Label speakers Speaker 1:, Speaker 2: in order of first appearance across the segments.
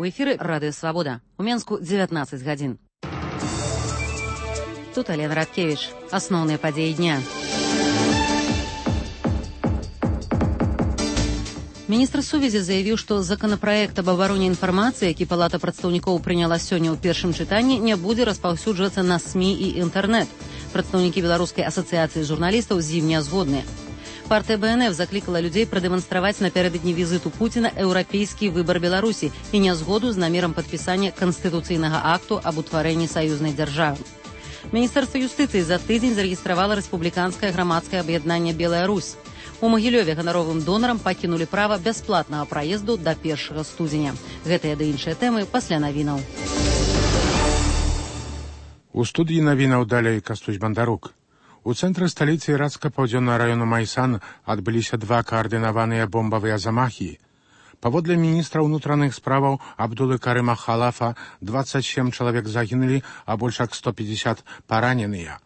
Speaker 1: У эфіры Радыё Свабода. У Менску 19 гадзін. Тут Алена Радкевич. Асноўныя падзеі дня. Міністр сувязі заявіў, што законапраект аб абароне інфармацыі, які Палата прадстаўнікоў прыняла сёння ў першым чытанні, не будзе распаўсюджвацца на СМІ і інтэрнэт. Прадстаўнікі Беларускай асацыяцыі журналістаў з ім не згодныя. Партыя БНФ заклікала людзей прадэманстраваць напярэдадні візіту Пуціна еўрапейскі выбар Беларусі і нязгоду з намерам падпісання канстытуцыйнага акту аб утварэнні саюзнай дзяржавы. Міністэрства юстыцыі за тыдзень зарэгістравала рэспубліканскае грамадскае аб'яднанне «Белая Русь». У Магілёве ганаровым донарам пакінулі права бясплатнага праезду да 1 студзеня. Гэтыя ды іншыя тэмы пасля навінаў.
Speaker 2: У студыі навінаў далей Кастусь Бандарук. У цэнтры сталіцы ірацка-паўдзённага раёну Майсан адбыліся два каардынаваныя бомбавыя замахі. Паводле міністра ўнутраных справаў Абдулы Карыма Халафа 27 чалавек загінулі, а больш як 150 параненыя.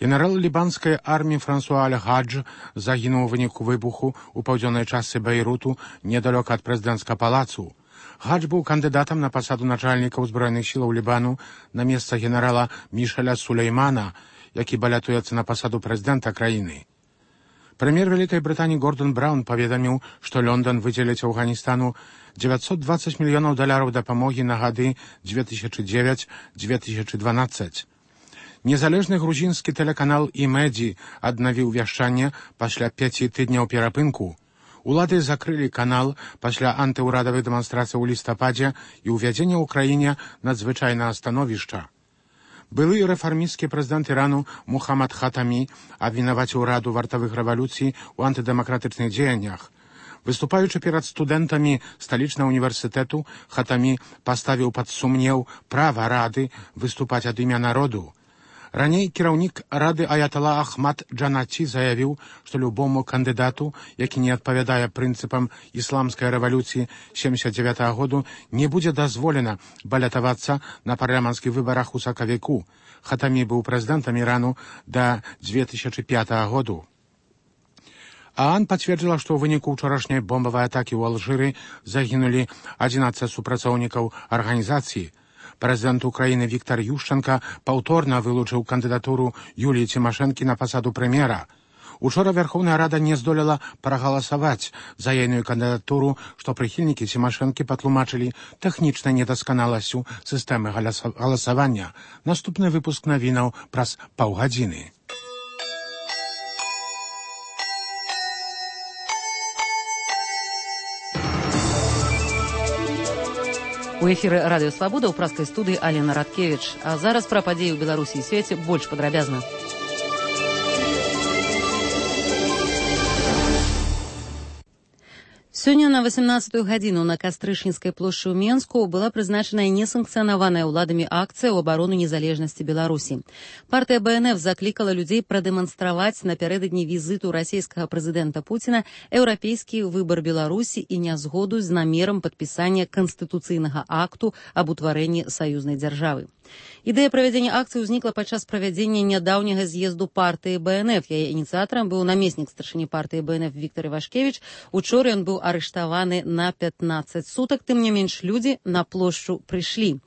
Speaker 2: Генерал лібанскай арміі Франсуа Аль-Гадж загінуў у выніку выбуху ў паўдзённай частцы Бейруту недалёка ад прэзідэнцкага палацу. Гадж быў кандыдатам на пасаду начальніка ўзброеных сілаў Лібану на месца генерала Мішаля Сулеймана, які балятуецца на пасаду прэзідэнта краіны. Прэм'ер Вялікай Брытаніі Гордон Браўн паведаміў, што Лондон выдзеліць Афганістану $920 мільёнаў дапамогі на гады 2009-2012. Незалежны грузінскі тэлеканал «Імэдзі» аднавіў вяшчанне пасля 5 тыдняў перапынку. Улады закрылі канал пасля антыўрадавых дэманстрацый у лістападзе і ўвядзення ў краіне надзвычайнага становішча. Былы рэфармісцкі прэзідэнт Ірану Мухаммад Хатамі абвінаваціў раду вартавых рэвалюцый у антыдэмакратычных дзеяннях. Выступаючы перад студэнтамі сталічнага універсітэту, Хатамі паставіў пад сумнеў права рады выступаць ад імя народу. Раней кіраўнік рады Аятала Ахмад Джанаці заявіў, што любому кандыдату, які не адпавядае прынцыпам ісламскай рэвалюцыі 79 году, не будзе дазволена балятавацца на парламенцкіх выбарах у сакавіку. Хатамі быў прэзідэнтам Ірану да 2005 году. ААН пацвердзіла, што ў выніку ўчорашняй бомбавай атакі ў Алжыры загінулі 11 супрацоўнікаў арганізацыі. Прэзідэнт Украіны Віктар Ющенка паўторна вылучыў кандыдатуру Юліі Цімашэнкі на пасаду прэм'ера. Учора Верховная Рада не здолела прагаласаваць за ейную кандыдатуру, што прыхільнікі Цімашэнкі патлумачылі тэхнічнай недасканаласцю сістэмы галасавання. Наступны выпуск навінаў праз паўгадзіны.
Speaker 1: У эфіры Радыё Свабода ў праскай студыі Алена Радкевич. А зараз пра падзеі ў Беларусі і свеце больш падрабязна. Сёння на 18-ю гадзіну на Кастрычніцкай плошчы ў Менску была прызначаная несанкцыянаваная ўладамі акцыя ў абарону незалежнасці Беларусі. Партыя БНФ заклікала людзей прадэманстраваць напярэдадні візіту расійскага прэзідэнта Пуціна еўрапейскі выбар Беларусі і нязгоду з намерам падпісання канстытуцыйнага акту аб утварэнні саюзнай дзяржавы. Ідэя правядзення акцыі ўзнікла падчас правядзення нядаўняга з'езду партыі БНФ. Яе ініцыятарам быў намеснік старшыні партыі БНФ Віктор Івашкевіч. Учора ён быў арыштаваны на 15 сутак. Тым не менш, людзі на плошчу прыйшлі.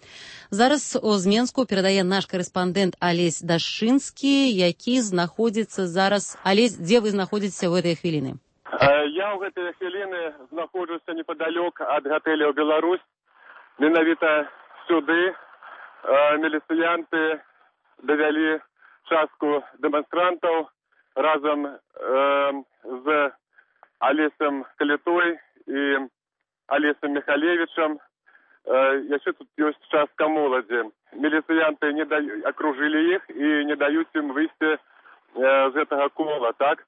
Speaker 1: Зараз з Менску перадае наш корэспандэнт Алесь Дашчынскі, які знаходзіцца зараз. Алесь, дзе вы знаходзіцеся ў гэтыя хвіліны?
Speaker 3: Я ў гэтыя хвіліны знаходжуся непадалёк ад гатэля «Беларусь». Менавіта сюды міліцыянты давялі частку дэманстрантаў разам з Алесам Калітой і Алесам Михалевічам. Яшчэ тут ёсць частка моладзі. Міліцыянты акружылі іх і не даюць ім выйсці з гэтага кола, так?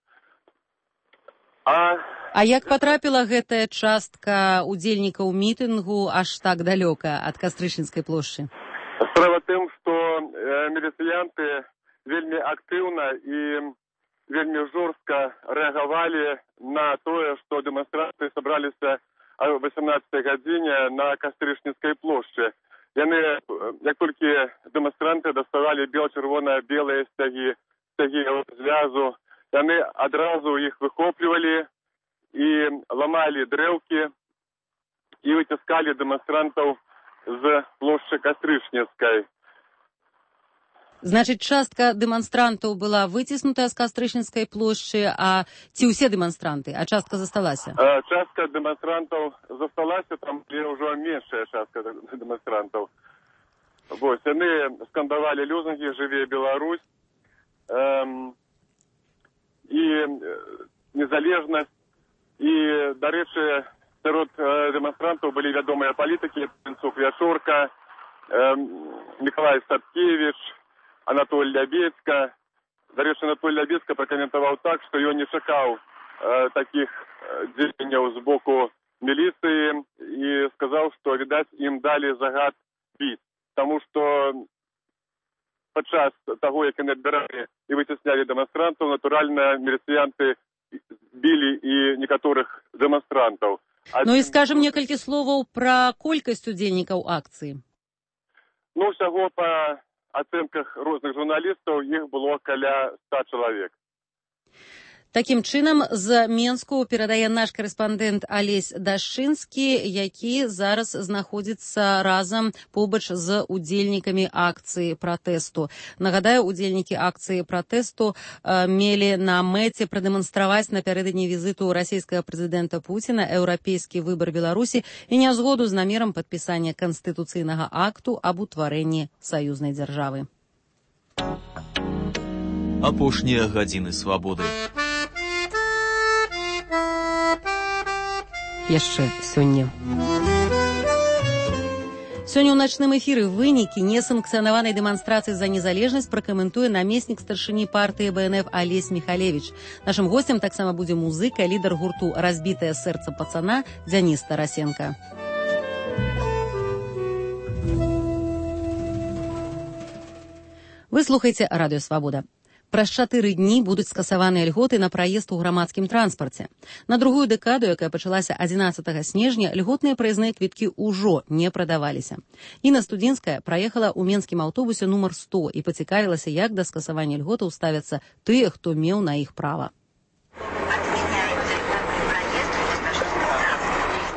Speaker 1: А як патрапіла гэтая частка удзельнікаў мітынгу аж так далёка ад Кастрычніцкай плошчы?
Speaker 3: Справа тым, што міліцыянты вельмі актыўна і вельмі жорстка рэагавалі на тое, што дэманстрацыі сабраліся о 18 гадзіне на Кастрычніцкай плошчы. Яны, як толькі дэманстранты даставалі бел-чырвона-белыя сцягі звязу, яны адразу іх выхоплівалі і ламалі дрэўкі и вытискали демонстрантов с площади Кастрычніцкай.
Speaker 1: Значит, частка демонстрантов была вытеснута с Кастрычніцкай площади, а ці ўсе демонстранты, а частка засталася?
Speaker 3: Частка демонстрантов засталась, там уже меньшая частка демонстрантов. Вот, они скандовали лозунги «Живее Беларусь», и незалежность, и, до речі, серед демонстрантов были ведомые политики: Пенцук Яшорка, Николай Сапкевич, Анатолій Лябецька. До речі, Анатолій Лябецька прокоментував так, що його не чекав таких діянь з боку міліції, і сказав, що, видать, їм дали загад бить. Тому що під час того, як вони відбирали і витісняли демонстрантів, натурально міліціянти били і некоторих демонстрантів.
Speaker 1: Ну і скажем некалькі словаў пра колькасць удзельнікаў акцыі.
Speaker 3: Ну, всього по оценках розных журналистов их было каля 100 человек.
Speaker 1: Таким чынам, з Менску перадае наш корэспандэнт Алесь Дашчынскі, які зараз знаходзіцца разам побач з удзельнікамі акцыі пратэсту. Нагадаю, удзельнікі акцыі пратэсту мелі на мэце прадэманстраваць напярэдадні візіту расійскага прэзідэнта Пуціна еўрапейскі выбар Беларусі і нязгоду з намерам падпісання канстытуцыйнага акту аб утварэнні саюзнай дзяржавы.
Speaker 4: Апошнія гадзіны свабоды.
Speaker 1: Яшчэ сёння. Сёння ў начным эфіры вынікі несанкцыянаванай дэманстрацыі за незалежнасць пракаментуе намеснік старшыні партыі БНФ Алесь Михалевич. Нашым госцем таксама будзе музыка, лідар гурту «Разбітае сэрца пацана» Дзяніс Тарасенко. Вы слухаеце Радыё Свабода. Праз 4 дні будуць скасаваныя льготы на праезд у грамадскім транспарце. На другую дэкаду, якая пачалася 11 снежня, льготныя праезныя квіткі ўжо не прадаваліся. Інна Студзінская праехала ў менскім аўтобусе нумар 100 і пацікавілася, як да скасавання льготаў ставяцца тыя, хто меў на іх права.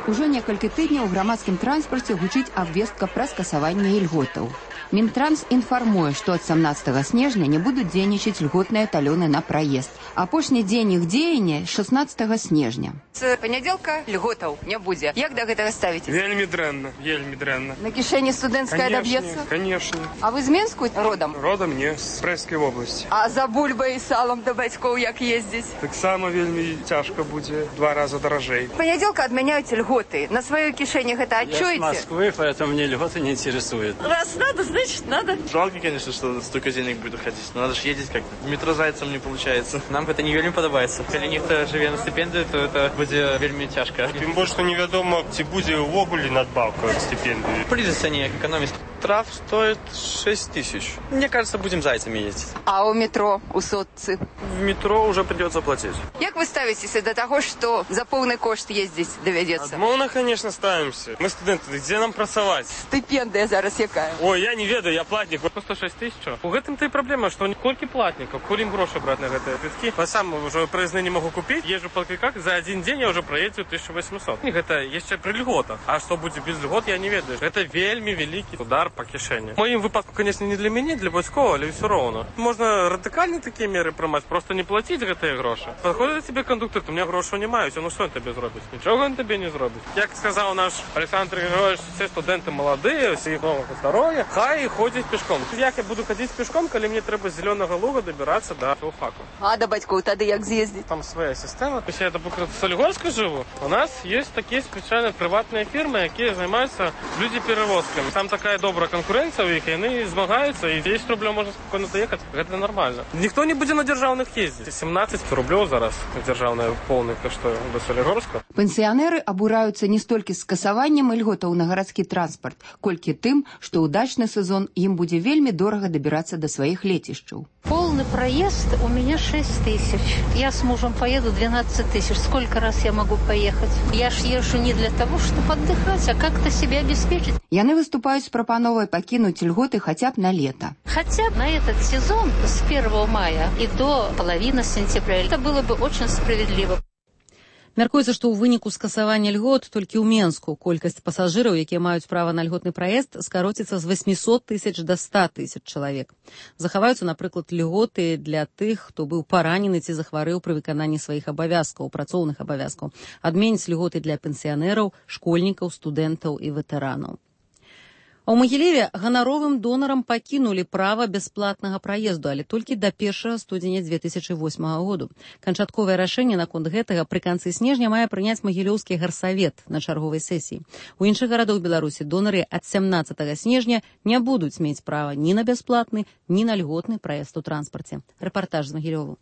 Speaker 5: Ужо некалькі тыдняў у грамадскім транспарце гучыць абвестка пра скасаванне льготаў. Мінтранс інфармуе, што ад 17 снежня не будуць дзейнічаць льготныя талёны на праезд. Апошні дзень іх дзеяння 16 снежня.
Speaker 6: З панядзелка льготаў не будзе. Як да гэтага ставіцеся?
Speaker 7: Вельмі дрэнна, вельмі дрэнна.
Speaker 6: На кішэні студэнцкая даб'ецца?
Speaker 7: Конечно.
Speaker 6: А вы з Менску родам?
Speaker 7: Родам не, з Брэсцкай вобласці.
Speaker 6: А за бульбай і салам да бацькоў як ездзіць?
Speaker 7: Таксама вельмі цяжка будзе, 2 раза даражэй.
Speaker 6: Панядзелка адмяняюць льготы. На сваёй кішэні гэта адчуеце?
Speaker 8: Я с Москвы, поэтому мне льготы не интересуют.
Speaker 6: Раз надо, значит надо.
Speaker 9: Жалко, конечно, что столько денег будет уходить, но надо же ездить как-то. В метро зайцем не получается.
Speaker 8: Нам это не вельмі падабаецца. Калі нехта жыве на стипендию, то это будзе вельмі цяжка.
Speaker 7: Тым больш, што невядома, ці будзе ўвогуле надбаўка ад стипендии.
Speaker 8: Придется не экономить.
Speaker 9: Штраф стоит 6 тысяч. Мне кажется, будем зайцами ездить.
Speaker 6: А у метро, у Сотцы?
Speaker 9: В метро уже придется платить.
Speaker 6: Як вы ставитесь до того, что за полный кошт ездить доведется?
Speaker 7: Адмоўна, конечно, ставимся. Мы студенты, где нам працаваць?
Speaker 6: Стипендия зараз якая?
Speaker 7: Ой, я не ведаю, я платник. Просто 6 тысяч. У гэтым-то и проблема, что колькі платников, коли им гроши брать на гэтыя квитки. Я сам уже проездные не могу купить. Езжу по квитках, за один день я уже проездил 1800. Это еще при льготах. А что будет без льгот, я не ведаю. Это вельмі великий удар по кишені. В моем выпадку, конечно, не для меня, для войськового, але все равно. Можно радикальні такі міри приймати, просто не платити гэтыя гроші. Підходить тебе кондуктор, у мене грошей немає, ну що він тобі зробить? Нічого він тобі не зробить. Як сказав наш Олександр Григорович, всі студенти молоді, всіх нового здоров'я, хай ходять пішком. Як я буду ходити пішком, коли мені треба з Зеленого Луга добиратися до філфаку?
Speaker 6: А до батьків тоді як з'їздити?
Speaker 7: Там своя система. Якщо я, наприклад, в Солігорську живу, у нас є такі спеціальні приватні фірми, які займаються люди-перевозками. Там така добра конкуренція у них, і вони змагаються, і 10 рублів можна спокійно доїхати. Це нормально. Ніхто не буде на державних їздити. 17 рублів зараз державне повне коштує до Солігорська.
Speaker 5: Пенсіонери абураюцца не столькі скасаваннем льготаў на гарадскі транспарт, колькі тым, што ў дачны сезон ім будзе вельмі дорага дабірацца до своих летищаў.
Speaker 10: Полный проезд у меня 6 тысяч. Я с мужем поеду 12 тысяч. Сколько раз я могу поехать? Я ж езжу не для того, чтобы отдыхать, а как-то себя обеспечить.
Speaker 5: Яны выступаюць з прапановай пакінуць льготы хотя бы на лето.
Speaker 10: Хотя бы на этот сезон с 1 мая и до половины сентября. Это было бы очень справедливо.
Speaker 1: Мяркуецца, што ў выніку скасавання льгот толькі ў Менску колькасць пасажыраў, якія маюць права на льготны праезд, скароціцца з 800 тысяч да 100 тысяч чалавек. Захаваюцца, напрыклад, льготы для тых, хто быў паранены ці захварэў пры выкананні сваіх абавязкаў, працоўных абавязкаў. Адменяць льготы для пенсіянераў, школьнікаў, студэнтаў і ветэранаў. А ў Магілеве ганаровым донарам пакінулі права бясплатнага праезду, але толькі да 1 студзеня 2008 году. Канчатковае рашэнне наконт гэтага пры канцы снежня мае прыняць Магілёўскі гарсавет на чарговай сесіі. У іншых гарадах Беларусі донары ад 17 снежня не будуць мець права ні на бясплатны, ні на льготны праезд у транспарце. Рэпартаж з Магілёву.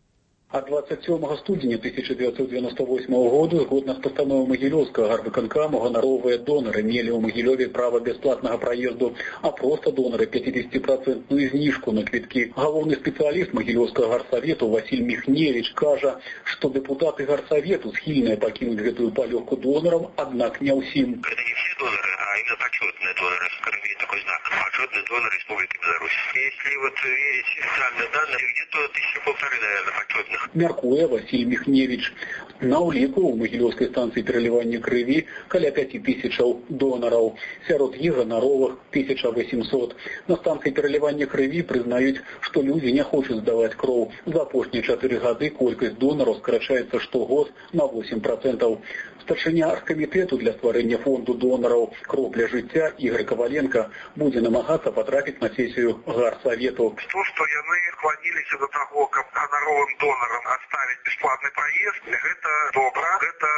Speaker 11: От 27 студеня 1998 года, згодна з постановой Могилевского гарвыканкаму, гоноровые доноры мели у Могилеве право бесплатного проезду, а просто доноры 50% знижку на квитки. Главный специалист Могилевского гарсовету Василь Михневич кажа, что депутаты гарсовету схильные покинуть эту полегку донорам, однако не усим.
Speaker 12: Это не все доноры, а именно почетные доноры. Скорее такой знак. Почетные доноры Республики Беларусь. Если вот верить официальным данным, где-то 1500, наверное, почетных.
Speaker 11: Мяркуе Василь Михневич. На уліку у Могилевской станции переливания крови каля 5000 доноров. Сярод іх ганаровых 1800. На станции переливания крови признают, что люди не хочут сдавать кровь. За апошнія 4 годы колькость доноров сокращается штогод на 8%. Старшыня аргкамітэту для стварэння фонду донараў «Кроў для жыцця» Игорь Коваленко будзе намагацца патрапіць на сесію гарсавету.
Speaker 12: То, что яны склонились до того, как гоноровым донорам оставить бесплатный проезд, это добро. Это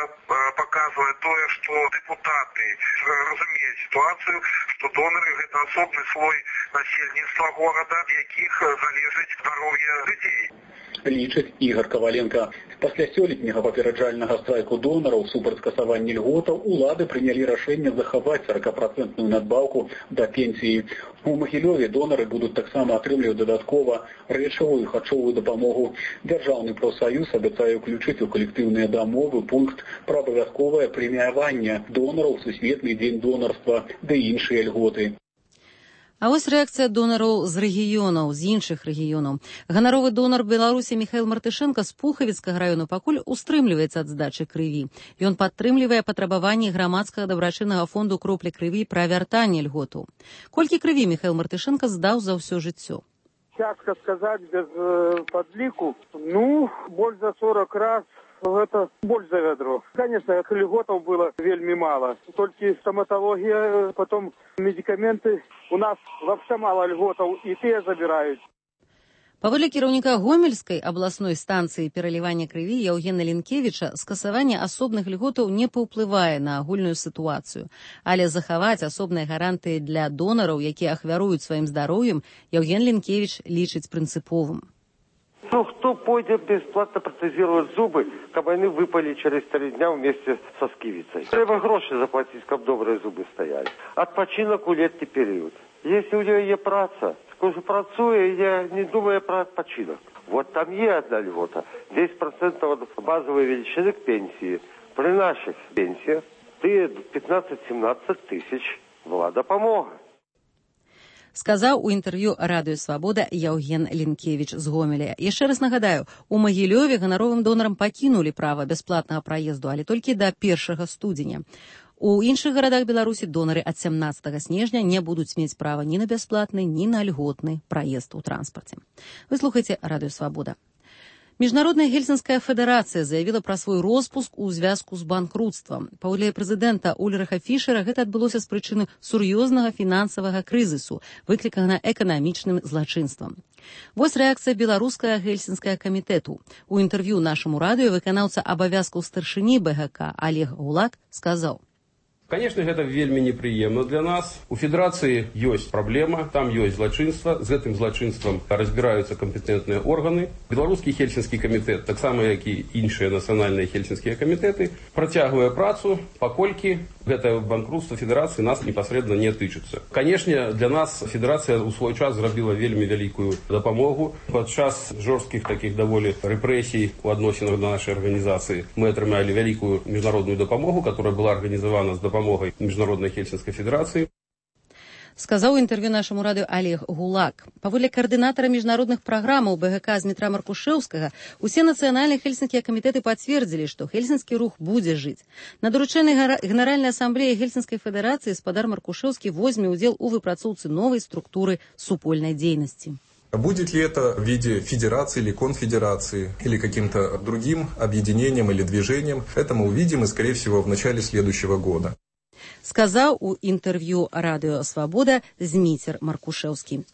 Speaker 12: показывает то, что депутаты разумеют ситуацию, что доноры – это особый слой насельніцтва города, в якіх залежыць здароўе людзей.
Speaker 11: Лічыць Ігор Коваленко. Пасля сёлетняга папераджальнага страйку донараў супраць скасавання льготаў улады прынялі рашэнне захаваць 40% надбаўку да пенсіі. У Магілёве донары будуць таксама атрымліваць дадаткова рэчавую і харчовую дапамогу. Дзяржаўны прафсаюз абяцае ўключыць у калектыўныя дамовы пункт пра абавязковае прэміяванне донараў, сусветны дзень донарства ды іншыя льготы.
Speaker 1: А вось рэакцыя донараў з рэгіёнаў, з іншых рэгіёнаў. Ганаровы донар Беларусі Міхаіл Мартышэнка з Пухавіцкага раёну пакуль устрымліваецца ад здачы крыві. Ён падтрымлівае патрабаванні грамадскага дабрачыннага фонду «Кропля крыві» пра вяртанне льготаў. Колькі крыві Міхаіл Мартышэнка здаў за ўсё жыццё?
Speaker 13: Цяжка сказаць без падліку. Больш за 40 раз. Это больше за ведро. Конечно, льготов было вельми мало. Только стоматология, потом медикаменты. У нас вообще мало льготов, и те забирают.
Speaker 1: Паводле кіраўніка Гомельскай абласной станцыі пералівання крыві Яўгена Лінкевіча, скасаванне асобных льготаў не паўплывае на агульную сітуацыю. Але захаваць асобныя гарантыі для донараў, якія ахвяруюць сваім здароўем, Яўген Лінкевіч лічыць прынцыповым.
Speaker 14: Кто пойдет бесплатно протезировать зубы, как они выпали через 3 дня вместе со скивицей? Треба гроши заплатить, как добрые зубы стояли. Отпочинок у летний период. Если у нее есть праца, скажу, працуя, я не думаю про отпочинок. Вот там есть одна льгота. 10% от базовой величины к пенсии. При наших пенсиях 15-17 тысяч была допомога.
Speaker 1: Сказаў у інтэрв'ю Радыё Свабода Яўген Лінкевіч з Гомеля. Яшчэ раз нагадаю, у Магілёве ганаровым донарам пакінулі права бясплатнага праезду, але толькі да 1 студзеня. У іншых гарадах Беларусі донары ад 17 снежня не будуць мець права ні на бясплатны, ні на льготны праезд у транспарце. Вы слухаеце Радыё Свабода. Міжнародная Гельсінская федэрацыя заявіла пра свой роспуск у звязку з банкрутствам. Паводле прэзідэнта Ульрыха Фішера гэта адбылося з прычыны сур'ёзнага фінансавага крызісу, выкліканага эканамічным злачынствам. Вось рэакцыя беларускага Гельсінскага камітэту. У інтэрв'ю нашаму радыё выканаўца абавязкаў старшыні БГК Олег Гулак сказаў:
Speaker 15: Конечно, гэта вельмі непрыемна для нас. У федэрацыі ёсць праблема, там ёсць злачынства, з гэтым злачынствам разбіраюцца кампетэнтныя органы. Беларускі Хельсінскі камітэт, таксама як і іншыя нацыянальныя хельсінскія камітэты, працягвае працу, паколькі гэта банкрутства федэрацыі нас непасрэдна не тычыцца. Канешне, для нас федэрацыя ў свой час зрабіла вельмі вялікую дапамогу. Падчас жорсткіх такіх даволі рэпрэсій у адносінах да нашай арганізацыі мы атрымалі вялікую міжнародную дапамогу, которая была арганізавана з дапамогай Міжнароднай Хельсінскай федэрацыі.
Speaker 1: сказаў у інтэрв'ю нашаму радыё Олег Гулак. Паводле каардынатара міжнародных праграмаў БГК Змітра Маркушэўскага, усе нацыянальныя хельсінскія камітэты пацвердзілі, што хельсінскі рух будзе жыць. На даручэнні Генеральнай асамблеі Хельсінскай федэрацыі спадар Маркушэўскі возьме ўдзел у выпрацоўцы новай структуры супольнай дзейнасці.
Speaker 16: Будет ли это в виде федерации или конфедерации, или каким-то другим объединением или движением, это мы увидим, и, скорее всего, в начале следующего года.
Speaker 1: Сказаў у інтэрв'ю Радыё Свабода Зміцер Маркушэўскі.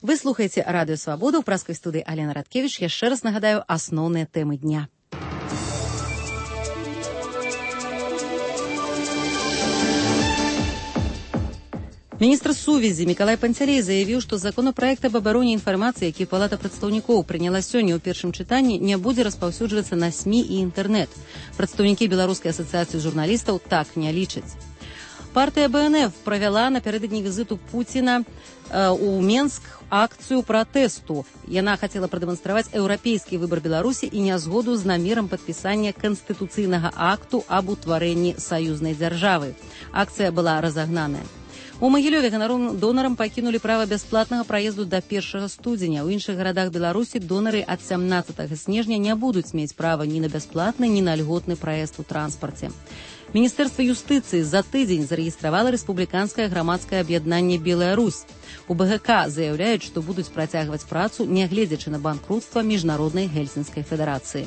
Speaker 1: Вы слухаеце Радыё Свабода, у праскай студыі Алена Радкевіч. Яшчэ раз нагадаю асноўныя тэмы дня. Міністр сувязі Мікалай Панцялей заявіў, што законапраект аб абароне інфармацыі, які Палата прадстаўнікоў прыняла сёння ў першым чытанні, не будзе распаўсюджвацца на СМІ і інтэрнэт. Прадстаўнікі Беларускай асацыяцыі журналістаў так не лічаць. Партыя БНФ правяла напярэдадні візіту Пуціна у Менск акцыю пратэсту. Яна хацела прадэманстраваць еўрапейскі выбар Беларусі і нязгоду з намерам падпісання канстытуцыйнага акту аб утварэнні саюзнай дзяржавы. Акцыя была разагнаная. У Магілёве ганаровым донарам пакінулі права бясплатнага праезду да 1 студзеня. У іншых гарадах Беларусі донары ад 17 снежня не будуць мець права ні на бясплатны, ні на льготны праезд у транспарце. Міністэрства юстыцыі за тыдзень зарэгістравала рэспубліканскае грамадскае аб'яднанне «Беларусь». У БГК заяўляюць, што будуць працягваць працу, нягледзячы на банкрутства міжнароднай Гельсінскай федэрацыі.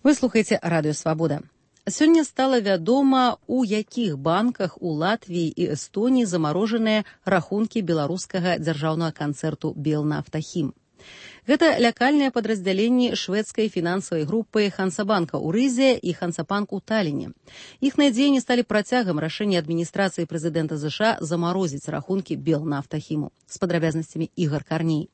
Speaker 1: Вы слухаеце Радыё Свабода. Сёння стала вядома, у якіх банках у Латвіі і Эстоніі замарожаныя рахункі беларускага дзяржаўнага канцэрту «Белнафтахім». Гэта лякальныя падраздзяленні шведскай фінансавай групы Хансабанка ў Рызе і Хансабанк у Таліне. Іхныя дзеянні сталі працягам рашэння адміністрацыі прэзідэнта США замарозіць рахункі «Белнафтахіму». З падрабязнасцямі Ігор Карней.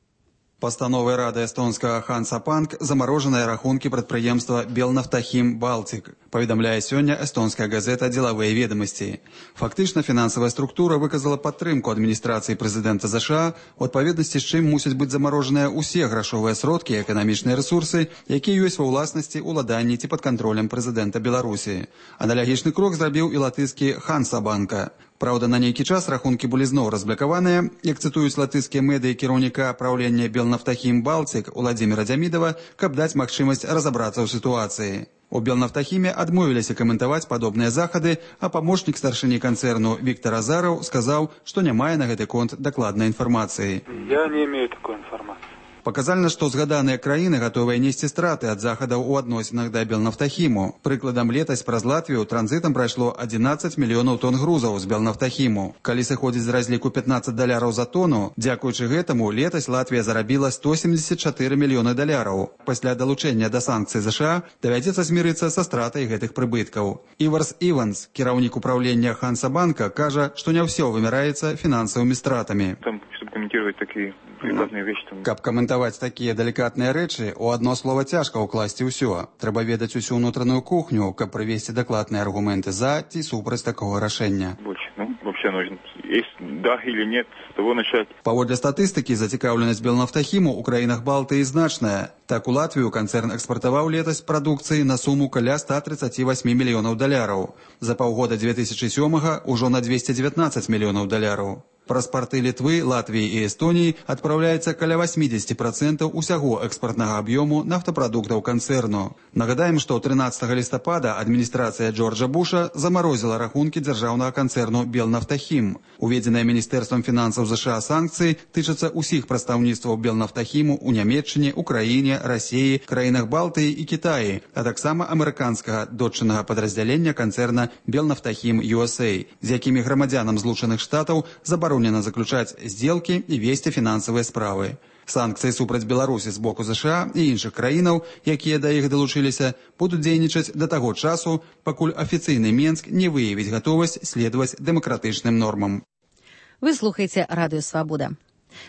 Speaker 17: Пастановай рады эстонскага Хансабанк замарожаныя рахункі прадпрыемства «Белнафтахім Балтик», паведамляе сёння эстонская газета «Дзелавыя ведамасці». Фактычна фінансавая структура выказала падтрымку адміністрацыі прэзідэнта США, у адпаведнасці з чым мусяць быць замарожаныя ўсе грашовыя сродкі і эканамічныя рэсурсы, якія ёсць ва ўласнасці, уладанні ці пад кантролем прэзідэнта Беларусі. Аналагічны крок зрабіў і латышскі Хансабанка. Праўда, на нейкі час рахункі былі зноў разблакаваныя, як цытуюць латышскія медыі кіраўніка праўлення «Белнафтахім Балтик» Уладзіміра Дзямідава, каб даць магчымасць разабрацца ў сітуацыі. У «Белнафтахіме» адмовіліся каментаваць падобныя захады, а памочнік старшыні канцэрну Віктор Азараў сказаў, што не мае на гэты конт дакладнай інфармацыі.
Speaker 18: Я не имею такой информации.
Speaker 17: Паказальна, што згаданыя краіны гатовыя несці страты ад захадаў у адносінах да Белнафтахіму. Прыкладам, летась праз Латвію транзітам прайшло 11 мільёнаў тонн грузаў з Белнафтахіму. Калі сыходзіць з разліку $15 за тону, дзякуючы гэтаму летась Латвія зарабіла 174 мільёны $. Пасля далучэння да санкцый США давядзецца змірыцца са стратай гэтых прыбыткаў. Іварс Іванс, кіраўнік управлення Хансабанка, кажа, што не ўсё вымяраецца фінансавымі стратамі. Каб каментаваць такія далікатныя рэчы, у адно слова цяжка ўкласці ўсё. Трэба ведаць усю ўнутраную кухню, каб прывесці дакладныя аргументы за ці супраць такога рашэння. Паводле статыстыкі, зацікаўленасць Белнафтахіму ў краінах Балтыі значная. Так, у Латвію канцэрн экспартаваў летась прадукцыі на суму каля $138 мільёнаў. За паўгода 2007-га ўжо на $219 мільёнаў. Праз парты Літвы, Латвіі і Эстоніі адпраўляецца каля 80% усяго экспартнага аб'ёму нафтапрадуктаў канцэрну. Нагадаем, што 13 лістапада адміністрацыя Джорджа Буша замарозіла рахункі дзяржаўнага канцэрну «Белнафтахім». Уведзеныя Міністэрствам фінансаў США санкцыі тычацца ўсіх прадстаўніцтваў «Белнафтахіму» у Нямецчыне, Украіне, Расіі, краінах Балтыі і Кітаі, а таксама амерыканскага дочыннага падраздзялення канцэрна «Белнафтахім USA», з якімі грамадзянам Злучаных Штатаў забаронена заключаць здзелкі і весці фінансавыя справы. Санкцыі супраць Беларусі з боку США і іншых краінаў, якія да іх далучыліся, будуць дзейнічаць да таго часу, пакуль афіцыйны Менск не выявіць гатовасць следаваць дэмакратычным нормам.
Speaker 1: Вы слухаеце Радыё Свабода.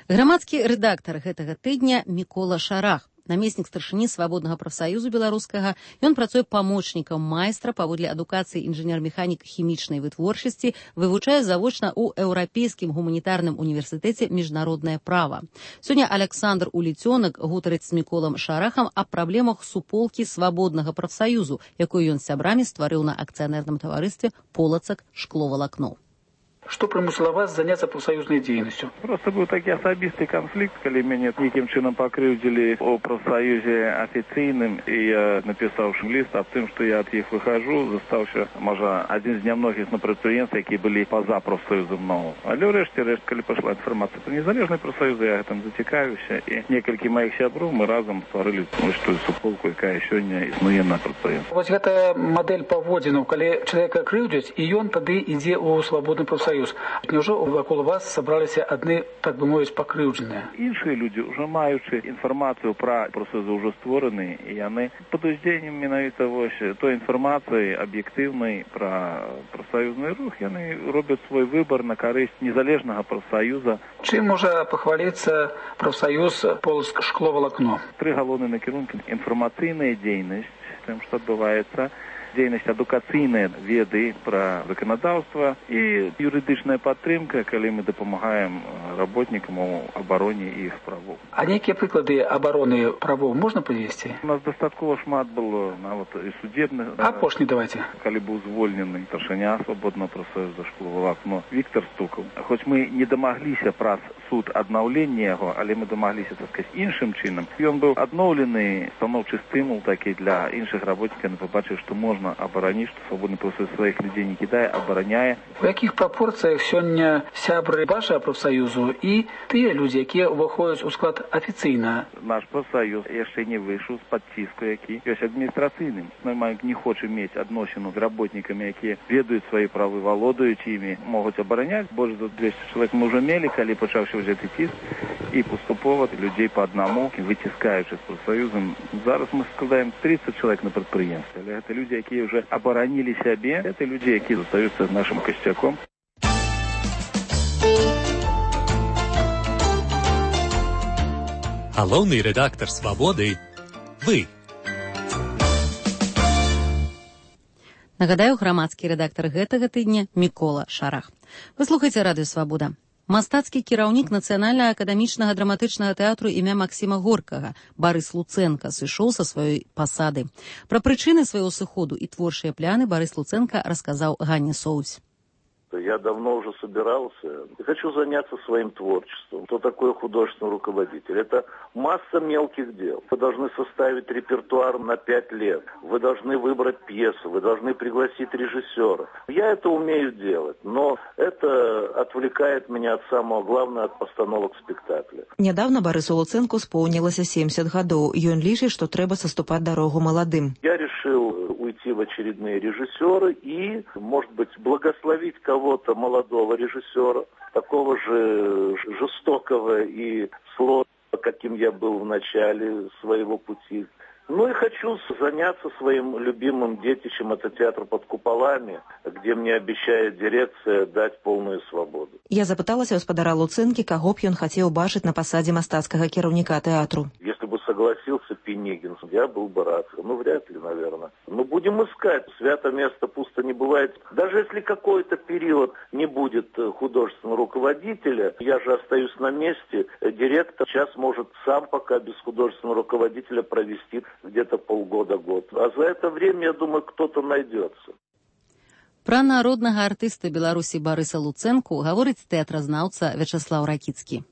Speaker 1: Грамадскі рэдактар гэтага тыдня Мікола Шарах. Намеснік старшыні свабоднага прафсаюзу беларускага, ён працуе памочнікам майстра паводле адукацыі інжынер-механік хімічнай вытворчасці, вывучае завочна ў Еўрапейскім гуманітарным універсітэце міжнароднае права. Сёння Александр Уліцёнак гутарыць з Міколам Шарахам аб праблемах суполкі свабоднага прафсаюзу, якую ён з сябрамі стварыў на акцыянерным таварыстве «Полацак шкловалакно».
Speaker 19: Что примусило вас заняться профсоюзной деятельностью?
Speaker 18: Просто был таки особистый конфликт, когда меня неким чином покрывдили о профсоюзе официальным, и я написал лист о том, что я от них выхожу, заставши, может, один из немногих на предприятий, которые были поза профсоюзом нового. Але решті, коли пошла информация про незалежные профсоюзы, я там затекаюся, и несколько моих сябров мы разом створили что суполку, яка еще не існує на предприятии.
Speaker 19: Вот эта модель поводзінаў, когда человека крыўдзяць, и он тогда идет у свободный профсоюз. Неужели вокруг вас собрались одни, так бы мовить, покрывдженные?
Speaker 18: Іншие люди, уже маючи информацию про профсоюзы уже створенные, и они под уздзеяннем менавіта той информации объективной про профсоюзный рух, они робят свой выбор на користь незалежного профсоюза.
Speaker 19: Чем может похвалиться профсоюз «Полацк шкловалакно»?
Speaker 18: 3 галоўныя накірункі: информационная деятельность, тем, что отбывается, дзейнасць адукацыйныя веды пра заканадаўства і юрыдычная падтрымка, калі мы дапамагаем работнікам у абароне іх правоў.
Speaker 19: А нейкія прыклады абароны правоў можна прывесці?
Speaker 18: У нас дастаткова шмат было нават і судебных.
Speaker 19: Апошні давайте.
Speaker 18: Калі быў звольнены старшыня свабоднага прафсаюза шкловалакно Віктор Стукаў. Хоць мы не дамагліся праз суд аднаўлення яго, але мы дамагліся, так сказаць, іншым чынам. Ён быў адноўлены, станоўчы стымул такі для іншых работнікаў, яны пабачылі, што можна оборонить, что свободный профсоюз своих людей не кидая, обороняя.
Speaker 19: В яких пропорциях сегодня сябры вашего профсоюзу и те люди, которые выходят у склад официально?
Speaker 18: Наш профсоюз еще не вышел с-под ціску, який есть административным. Мы не хочем иметь отношену с работниками, которые ведают свои правы, володуют ими, могут оборонять. Больше за 200 человек мы уже имели, когда почавший уже этот тиск, и поступово людей по одному, вытискаючи с профсоюзом. Зараз мы складаем 30 человек на предприятии. Это люди, которые уже оборонили себе, это люди, которые остаются нашим костяком.
Speaker 20: Галоўны рэдактар «Свабоды» – вы.
Speaker 1: Нагадаю, грамадскі рэдактар гэтага тыдня Мікола Шарах. Вы слухаеце радыё «Свабода». Мастацкі кіраўнік Нацыянальнага акадэмічнага драматычнага тэатру імя Максіма Горкага Барыс Луцэнка сышоў са сваёй пасады. Пра прычыны свайго сыходу і творчыя пляны Барыс Луцэнка расказаў Ганне Соусь.
Speaker 21: Я давно уже собирался и хочу заняться своим творчеством. Кто такой художественный руководитель? Это масса мелких дел. Вы должны составить репертуар на 5 лет. Вы должны выбрать пьесу. Вы должны пригласить режиссера. Я это умею делать, но это отвлекает меня от самого главного, от постановок спектакля.
Speaker 22: Недавно Барысу Луцэнку исполнилось 70 гадоў. Ён лічыць, што трэба саступаць дарогу маладым.
Speaker 21: Я решил уйти в очередные режиссеры и, может быть, благословить кого-то молодого режиссера, такого же жестокого и сложного, каким я был в начале своего пути. Ну и хочу заняться своим любимым детищем, это театр под куполами, где мне обещает дирекция дать полную свободу.
Speaker 22: Я запыталася гаспадара Луцэнкі, каго б ён хацеў бачыць на пасадзе мастацкага кіраўніка тэатру.
Speaker 21: Если бы согласился Пенигин, я был бы рад. Ну, вряд ли, наверное. Но будем искать. Свято место пусто не бывает. Даже если какой-то период не будет художественного руководителя, я же остаюсь на месте, директор сейчас может сам пока без художественного руководителя провести где-то полгода-год. А за это время, я думаю, кто-то найдется.
Speaker 1: Пра народнага артыста Беларусі Барыса Луцэнку гаворыць тэатразнаўца Вячаслаў Ракіцкі.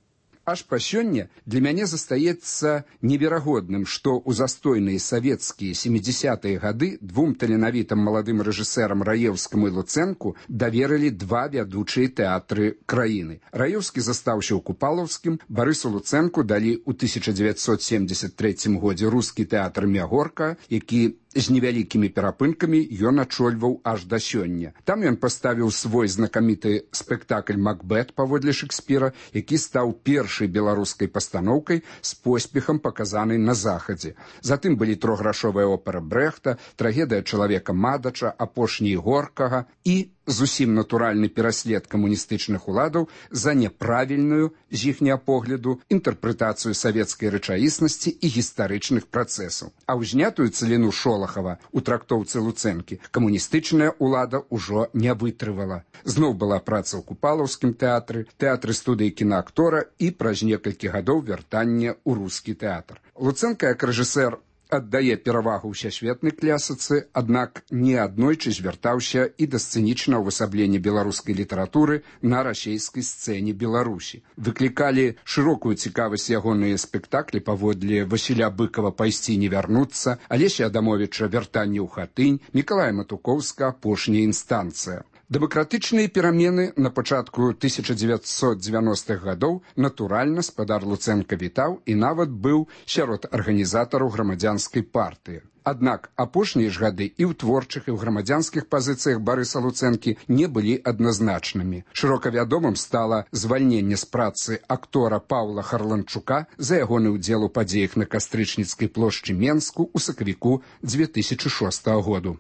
Speaker 23: Аж па сёння для мяне застаецца неверагодным, што ў застойныя савецкія 70-е гады двум таленавітым маладым рэжысэрам Раеўскаму і Луцэнку даверылі 2 вядучыя тэатры краіны. Раеўскі застаўся ў Купалаўскім, Барысу Луцэнку далі ў 1973 годзе рускі тэатр імя Горка, які з невялікімі перапынкамі ён ачольваў аж да сёння. Там ён паставіў свой знакаміты спектакль «Макбет» паводле Шекспіра, які стаў першай беларускай пастаноўкай з поспехам паказанай на захадзе. Затым былі трохграшовая опера Брэхта, трагедыя чалавека Мадача, апошні Горкага і зусім натуральны пераслед камуністычных уладаў за няправільную, з іхняга погляду, інтэрпрэтацыю савецкай рэчаіснасці і гістарычных працэсаў. А ўзнятую цаліну Шолахава у трактоўцы Луцэнкі камуністычная ўлада ўжо не вытрывала. Зноў была праца ў Купалаўскім тэатры, тэатры студыі кінаактора і праз некалькі гадоў вяртання ў рускі тэатр. Луцэнка як рэжысэр аддае перавагу ўсесветнай клясіцы, аднак неаднойчы звяртаўся і да сцэнічнага ўвасаблення беларускай літаратуры на расейскай сцэне Беларусі. Выклікалі шырокую цікавасць ягоныя спектаклі паводле Васіля Быкова «Пайсці не вярнуцца», Алеся Адамовіча «Вяртанне ў хатынь», Мікалая Матукоўска «Апошняя інстанцыя». Дэмакратычныя перамены на пачатку 1990-х гадоў натуральна спадар Луцэнка вітаў і нават быў сярод арганізатараў грамадзянскай партыі. Аднак апошнія ж гады і ў творчых, і ў грамадзянскіх пазіцыях Барыса Луцэнкі не былі адназначнымі. Шырока вядомым стала звальненне з працы актора Паўла Харланчука за ягоны ўдзел у падзеях на Кастрычніцкай плошчы Менску ў сакавіку 2006 году.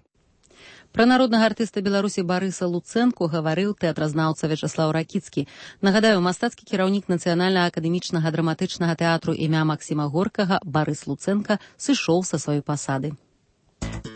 Speaker 1: Пра народнага артыста Беларусі Барыса Луцэнку гаварыў тэатразнаўца Вячаслаў Ракіцкі. Нагадаю, мастацкі кіраўнік Нацыянальнага акадэмічнага драматычнага тэатру імя Максіма Горкага Барыс Луцэнка сышоў са сваёй пасады.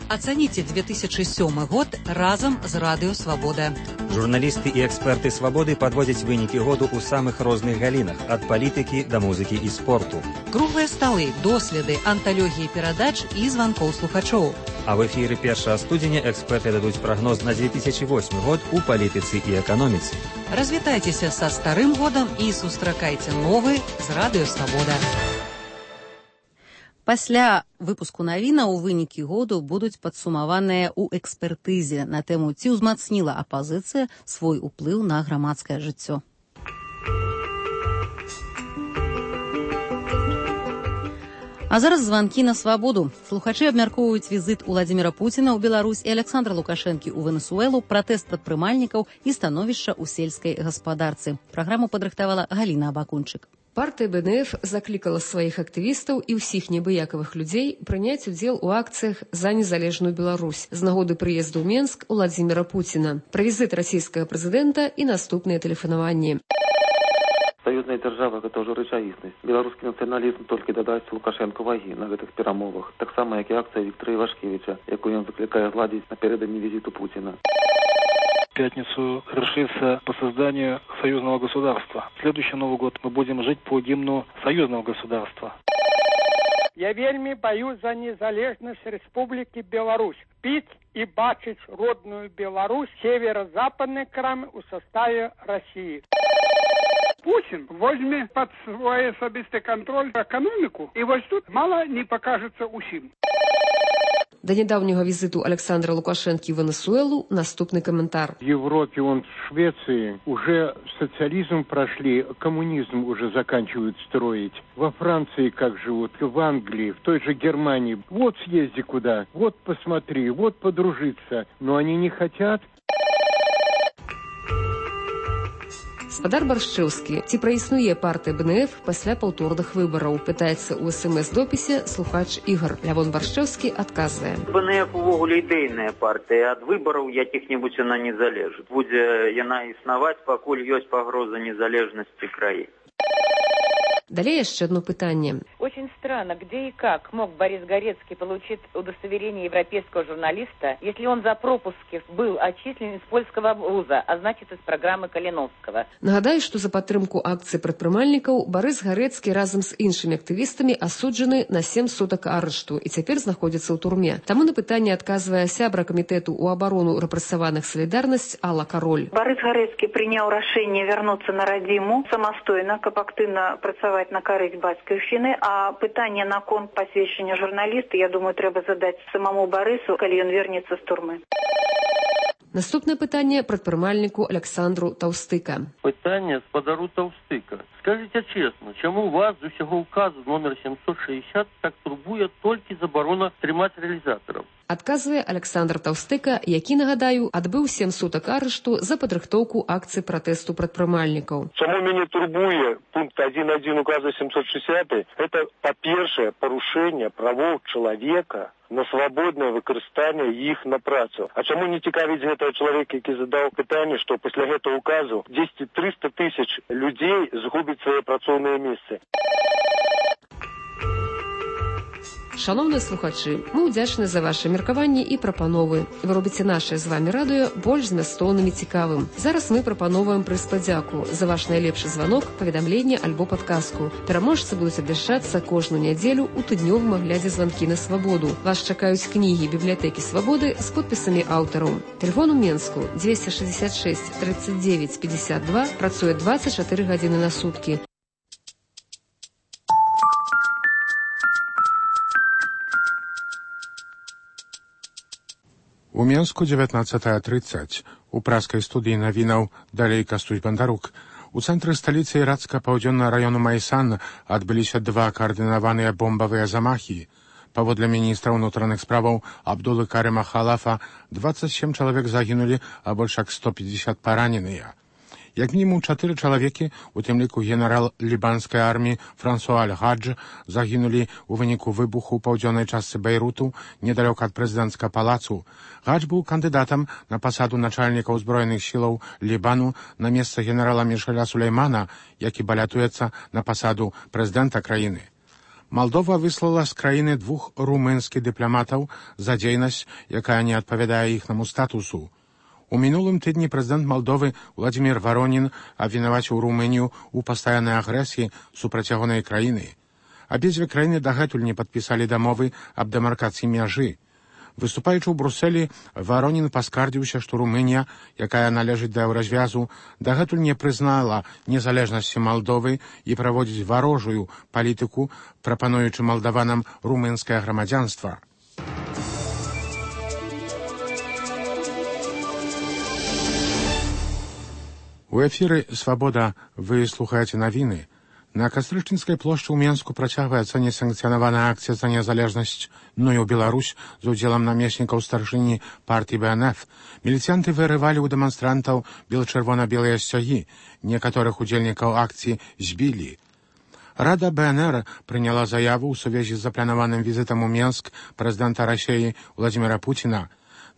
Speaker 2: Ацаніце 2007 год разам з Радыё Свабода.
Speaker 3: Журналісты і эксперты Свабоды падводзяць вынікі году ў самых розных галінах, ад палітыкі да музыкі і спорту.
Speaker 2: Круглыя сталы, доследы, анталогіі перадач і званкоў слухачоў.
Speaker 3: А в эфіры 1 студзеня эксперты дадуць прагноз на 2008 год у палітыцы і эканоміцы.
Speaker 2: Развітайцеся са старым годам і сустракайце новы з Радыё Свабода.
Speaker 1: Пасля выпуску навінаў вынікі году будуць падсумаваныя ў экспертызе на тэму, ці ўзмацніла апазіцыя свой уплыў на грамадскае жыццё. А зараз званкі на свабоду. Слухачы абмяркоўваюць візіт Уладзіміра Пуціна ў Беларусь і Александра Лукашэнкі ў Венесуэлу, пратэст прадпрымальнікаў і становішча ў сельскай гаспадарцы. Праграму падрыхтавала Галіна Абакунчык.
Speaker 4: Партыя БНФ заклікала сваіх актывістаў і ўсіх небыякавых людзей прыняць удзел у акцыях за незалежную Беларусь з нагоды прыезду ў Менск Уладзіміра Пуціна, пра візіт расійскага прэзідэнта і наступныя тэлефанаванні.
Speaker 24: Саюзная дзяржава – гэта ўжо рэчаіснасць. Беларускі нацыяналізм толькі дадасць Лукашэнку вагі на гэтых перамовах. Таксама, як і акцыя Віктора Івашкевіча, якую ён закликае зладзіць напярэдадні візіту Путина.
Speaker 25: В пятницу решится по созданию союзного государства. В следующий Новый год мы будем жить по гимну союзного государства.
Speaker 26: Я вельми боюсь за незалежность Республики Беларусь. Пить и бачить родную Беларусь, северо-западный край в составе России. Путин возьме под свой особистый контроль экономику, и вот тут мало не покажется усім.
Speaker 4: До недавнего визиту Александра Лукашенки в Венесуэлу наступный комментар.
Speaker 27: В Европе, в Швеции уже социализм прошли, коммунизм уже заканчивают строить. Во Франции как живут, в Англии, в той же Германии. Вот съезди куда, вот посмотри, вот подружиться. Но они не хотят.
Speaker 4: Спадар Баршчэўскі, ці праіснуе партыя БНФ пасля паўторных выбараў? Пытаецца ў СМС-допісе слухач Ігор. Лявон Баршчэўскі адказвае.
Speaker 28: БНФ увогуле ідэйная партыя. Ад выбараў якіх-небудзь яна не залежыць. Будзе яна існаваць, пакуль ёсць пагроза незалежнасці краіны.
Speaker 4: Далее еще одно пытание.
Speaker 29: Очень странно, где и как мог Борис Горецкий получить удостоверение европейского журналиста, если он за пропуски был отчислен из польского вуза, а значит из программы Калиновского.
Speaker 4: Нагадаю, что за падтрымку акцыі прадпрымальнікаў Борис Гарэцкі разом с іншымі актывістамі асуджаны на 7 суток арышту і цяпер знаходзіцца ў турме. Таму на пытанне адказвае сябра камітэту ў абарону рэпрэсаваных «Салідарнасць» Алла Кароль.
Speaker 30: Борис Гарэцкі прыняў рашэнне вярнуцца на радзіму самастойна, каб актыўна працаваць на карысць бацькаўшчыны, а пытанне наконт пасведчання журналіста, я думаю, трэба задаць самому Барысу, калі ён вернецца з турмы.
Speaker 4: Наступнае пытанне прадпрымальніку Александру Таўстыка.
Speaker 31: Пытанне спадару Таўстыка.
Speaker 5: Скажите честно, чему вас з усього указу номер 760 так турбує тільки заборона тримати реалізаторів?
Speaker 4: Адказвае Александр Таўстэка, які, нагадаю, адбыў 7 сутак арышту за падрыхтоўку акцыі пратэсту прадпрымальнікаў.
Speaker 6: Чаму мяне турбуе пункт 1.1 указа 760? Это, па-першае, парушэнне правоў чалавека на свабоднае выкарыстанне іх на працу. А чаму не цікавіць гэтага чалавека, які задаў пытанне, што пасля гэтага указу 200-300 тысяч людзей згубяць свае працоўныя месцы?
Speaker 4: Шановныя слухачы, мы ўдзячны за ваши меркаванні і прапановы. Вы робіце наше з вами радыё больш змястоўным і цікавым. Зараз мы прапановваем прыз падзяку за ваш найлепшы званок, паведамленне альбо падказку. Пераможцы будуць абвяшчацца кожную нядзелю ў тыднёвым аглядзе званкі на свабоду. Вас чакаюць кнігі бібліятэкі свабоды з подпісамі аўтараў. Тэлефон у Менску 266 39 52, працуе 24 гадзіны на суткі.
Speaker 7: У Менску 19:30. У праскай студыі навінаў далей Кастусь Бандарук. У цэнтры сталіцы ірацка-паўдзённага раёну Майсан адбыліся 2 каардынаваныя бомбавыя замахі. Паводле міністра ўнутраных справаў Абдулы Карыма Халафа 27 чалавек загінулі, а больш як 150 параненыя. Як мінімум 4 чалавекі, у тым ліку генерал лібанскай арміі Франсуа Аль-Гадж, загінулі ў выніку выбуху ў паўдзённай частцы Бейруту, недалёка ад прэзідэнцкага палацу. Гадж быў кандыдатам на пасаду начальніка ўзброеных сілаў Лібану на месца генерала Мішеля Сулеймана, які балятуецца на пасаду прэзідэнта краіны. Малдова выслала з краіны 2 румынскіх дыпламатаў за дзейнасць, якая не адпавядае іхнаму статусу. У мінулым тыдні прэзідэнт Малдовы Владзімір Варонін абвінаваціў Румынію ў пастаяннай агрэсіі супраць ягонай краіны. Абедзве краіны дагэтуль не падпісалі дамовы аб дэмаркацыі мяжы. Выступаючы ў Брусэлі, Варонін паскардзіўся, што Румынія, якая належыць да еўразвязу, дагэтуль не прызнала незалежнасці Малдовы і праводзіць варожую палітыку, прапануючы малдаванам румынскае грамадзянства. У эфіры «Свабода» вы слухаеце навіны. На Кастрычніцкай плошчы ў Менску працягваецца несанкцыянаваная акцыя за незалежнасць «Ну і ў Беларусь» з удзелам намеснікаў старшыні партыі БНФ. Міліцыянты вырывалі ў дэманстрантаў бел-чырвона-белыя сцягі. Некаторых удзельнікаў акцыі збілі. Рада БНР прыняла заяву ў сувязі з запланаваным візітам у Менск прэзідэнта Расіі Владзіміра Пуціна.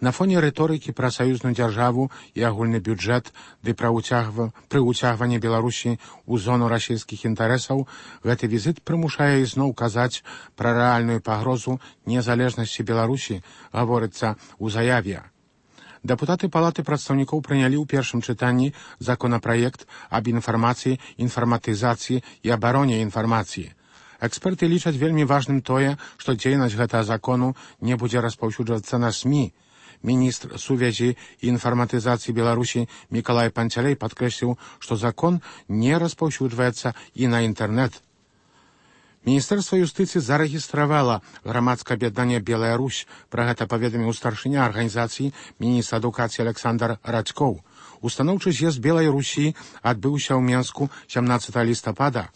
Speaker 7: На фоне рыторыкі пра саюзную дзяржаву і агульны бюджэт ды пры ўцягванні Беларусі ў зону расійскіх інтарэсаў гэты візіт прымушае ізноў казаць пра рэальную пагрозу незалежнасці Беларусі, гаворыцца ў заяве. Дэпутаты Палаты прадстаўнікоў прынялі ў першым чытанні законапраект аб інфармацыі, інфарматызацыі і абароне інфармацыі. Эксперты лічаць вельмі важным тое, што дзейнасць гэтага закону не будзе распаўсюджвацца на СМІ. Міністр сувязі і інфарматызацыі Беларусі Мікалай Панцялей падкрэсліў, што закон не распаўсюджваецца і на інтэрнэт. Міністэрства юстыцыі зарэгістравала грамадскае аб'яднанне «Белая Русь». Пра гэта паведаміў старшыня арганізацыі міністр адукацыі Александр Радзькоў. Устаноўчы з'езд Белай Русі адбыўся ў Менску 17 лістапада.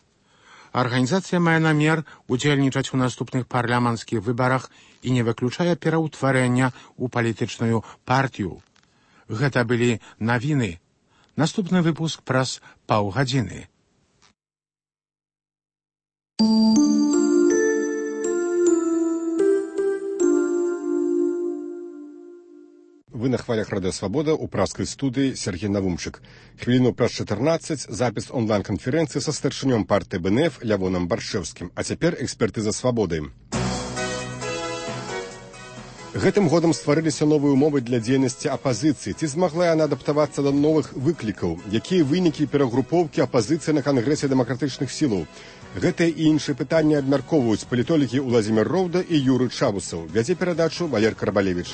Speaker 7: Арганізацыя мае намер удзельнічаць у наступных парламенцкіх выбарах і не выключае пераўтварэння ў палітычную партыю. Гэта былі навіны. Наступны выпуск праз паўгадзіны.
Speaker 8: Вы на хвалях Радио Свобода у праской студии Сергей Навумчик. Хвилину праз 14 запись онлайн-конференции со старшынём партии БНФ Лявоном Баршевским. А цяпер экспертыза свабоды. Гэтым годам стварыліся новыя ўмовы для дзейнасці апазіцыі. Ці змагла яна адаптавацца да новых выклікаў? Якія вынікі перагрупоўкі апазіцыі на Кангрэсе дэмакратычных сілаў? Гэтыя і іншыя пытанні абмяркоўваюць палітолагі Уладзімір Роўда і Юрый Чабусаў. Вядзе перадачу Валер Карбалевіч.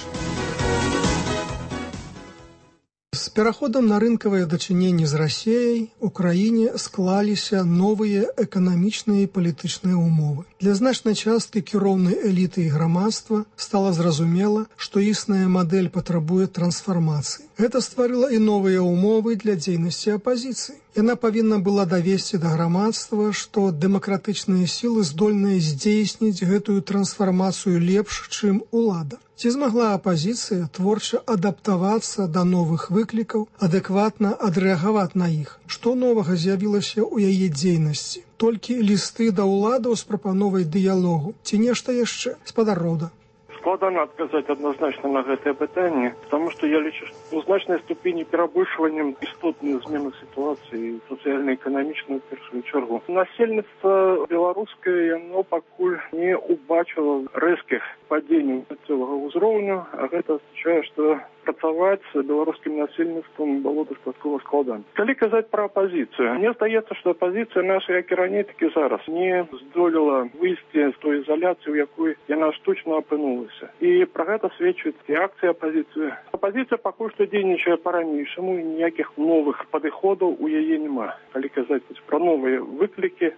Speaker 9: С пераходом на рынкавыя дачыненні з Расіяй у краіне склаліся новыя эканамічныя і палітычныя ўмовы. Для значнай часткі кіроўнай эліты і грамадства стала зразумела, што існая мадэль патрабуе трансфармацыі. Гэта стварыла і новыя ўмовы для дзейнасці апазіцыі. Яна павінна была давесці да грамадства, што дэмакратычныя сілы здольныя здзейсніць гэтую трансфармацыю лепш, чым улада. Ці змагла апазіцыя творча адаптавацца да новых выклікаў, адэкватна адрэагаваць на іх? Што новага з'явілася ў яе дзейнасці? Толькі лісты да ўладаў з прапановай дыялогу? Ці нешта яшчэ? Спадар Роўда.
Speaker 27: Складана адказаць адназначна на гэтае пытанне, таму што я лічу, што ў значнай ступені перабольшваннем істотную змену сітуацыі сацыяльна-эканамічную ў першую чаргу. Насельніцтва беларускае, яно пакуль не убачыла рэзкіх падзенняў цэлага ўзроўню, а гэта азначае, што працаваць з беларускім насельніцтвам было дастаткова складана. Калі казаць пра апазіцыю, мне здаецца, што апазіцыя наша, як і раней, так і зараз, не здолела выйсці з той ізаляцыі, у якой яна штучна апынулася. І пра гэта сведчыць і акцыя апазіцыі. Апазіцыя пакуль што дзейнічае па-ранейшаму, і ніякіх новых падыходаў у яе няма. Калі казаць пра новыя выклікі.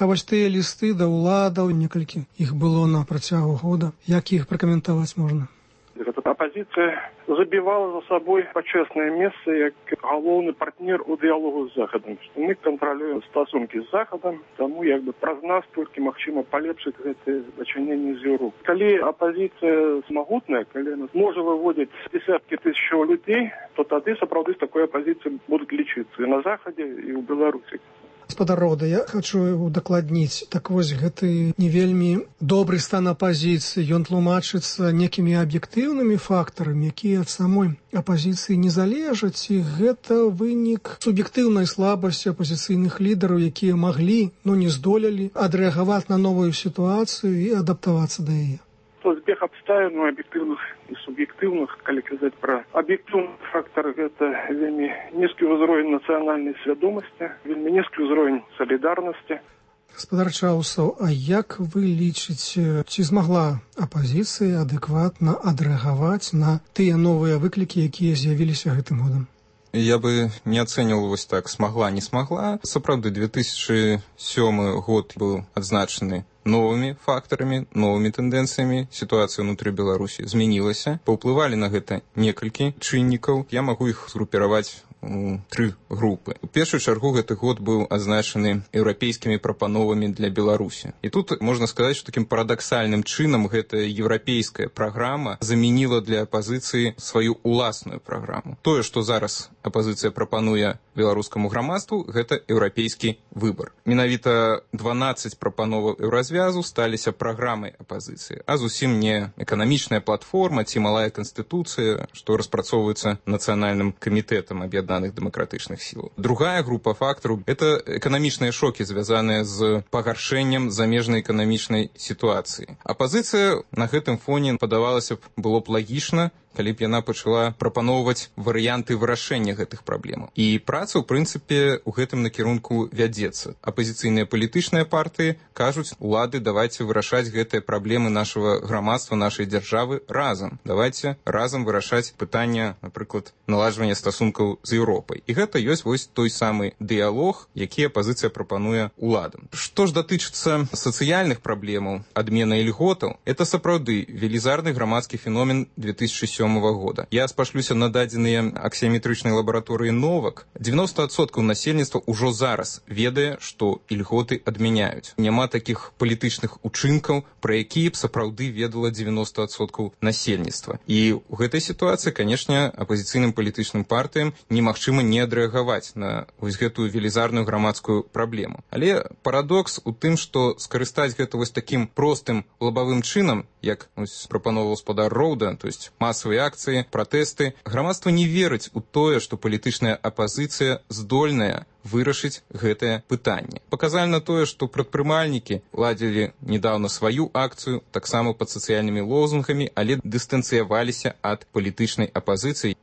Speaker 9: А вось тыя лісты да ўладаў, некалькі іх было на працягу года. Як іх пракаментаваць можна?
Speaker 27: Апозіція забівала за сабой пачэснае месца як галоўны партнер у дыялогу з Захадам. Мы кантралюем стасункі з Захадам, таму праз нас толькі магчыма палепшыць гэтыя дачыненні з Еўропай. Калі апозіцыя магутная, калі она можа выводзіць десяткі тысячаў людзей, то тады сапраўды з такой апозіцыяй будуць лічыцца і на Захадзе, і ў Беларусі.
Speaker 9: Спадар Роўда, я хочу удакладніць. Так вось, гэты не вельмі добры стан апазіцыі, ён тлумачыцца некімі аб'ектыўнымі фактарамі, якія ад самой апазіцыі не залежаць, і гэта вынік суб'ектыўнай слабасці апазіцыйных лідараў, якія маглі, но не здолелі адрэагаваць на новую сітуацыю і адаптавацца да яе.
Speaker 27: Збег абставін аб'ектыўных і суб'ектыўных, калі казаць пра аб'ектыўны фактар, гэта вельмі нізкі ўзровень нацыянальнай свядомасці, вельмі нізкі ўзровень салідарнасці.
Speaker 9: Гаспадар Чаусаў, а як вы лічыце, ці змагла апазіцыя адэкватна адрэагаваць на тыя новыя выклікі, якія з'явіліся гэтым годам?
Speaker 10: Я бы не ацэньваў вось так, смагла, не смагла. Сапраўды, 2007 год быў адзначаны новымі фактарамі, новымі тэндэнцыямі. Сітуацыя ўнутры Беларусі змянілася. Паўплывалі на гэта некалькі чыннікаў. Я магу іх згрупіраваць у 3 групы. У першую чаргу гэты год быў адзначаны еўрапейскімі прапановамі для Беларусі. І тут можна сказаць, што такім парадаксальным чынам гэтая еўрапейская праграма замяніла для апазіцыі сваю уласную праграму. Тое, што зараз апазіцыя прапануе беларускаму грамадству, гэта еўрапейскі выбар. Менавіта 12 прапановаў еўразвязу сталіся праграмай апазіцыі, а зусім не эканамічная платформа ці малая канстытуцыя, што распрацоўваецца нацыянальным камітэтам аб'яднаных дэмакратычных сілаў. Другая група фактараў – это эканамічныя шокі, звязаныя з пагаршэннем замежнай эканамічнай сітуацыі. Апазіцыя на гэтым фоне, падавалася б, было б лагічна, калі б яна пачала прапаноўваць варыянты вырашэння гэтых праблемаў. І праца, ў прынцыпе, у гэтым накірунку вядзецца. Апазіцыйныя палітычныя партыі кажуць, улады, давайце вырашаць гэтыя праблемы нашага грамадства, нашай дзяржавы разам. Давайце разам вырашаць пытання, напрыклад, наладжвання стасункаў з Еўропай. І гэта ёсць вось той самы дыялог, які апазіцыя прапануе уладам. Што ж датычыцца сацыяльных праблемаў, адмены ільготаў, это сапраўды велізарны грамадскі феномен 2007 года. Я спашлюся на дадзеныя аксіяметрычнай лабараторыі Новак. 90% насельніцтва ўжо зараз ведае, што ільготы адмяняюць. Няма такіх палітычных учынкаў, пра якія б сапраўды ведала 90% насельніцтва. І ў гэтай сітуацыі, канешне, апазіцыйным палітычным партыям немагчыма не адрэагаваць на вось гэтую велізарную грамадскую праблему. Але парадокс у тым, што скарыстаць гэта вось такім простым лабавым чынам, як прапановаў гаспадар Роўда, то есть масавыя акцыі, пратэсты, грамадства не верыць у тое, што палітычная апазіцыя здольная вырашыць гэтае пытанне. Паказальна тое, што прадпрымальнікі ладзілі недаўна сваю акцыю, таксама пад сацыяльнымі лозунгамі, але дыстанцыяваліся ад палітычнай апазіцыі.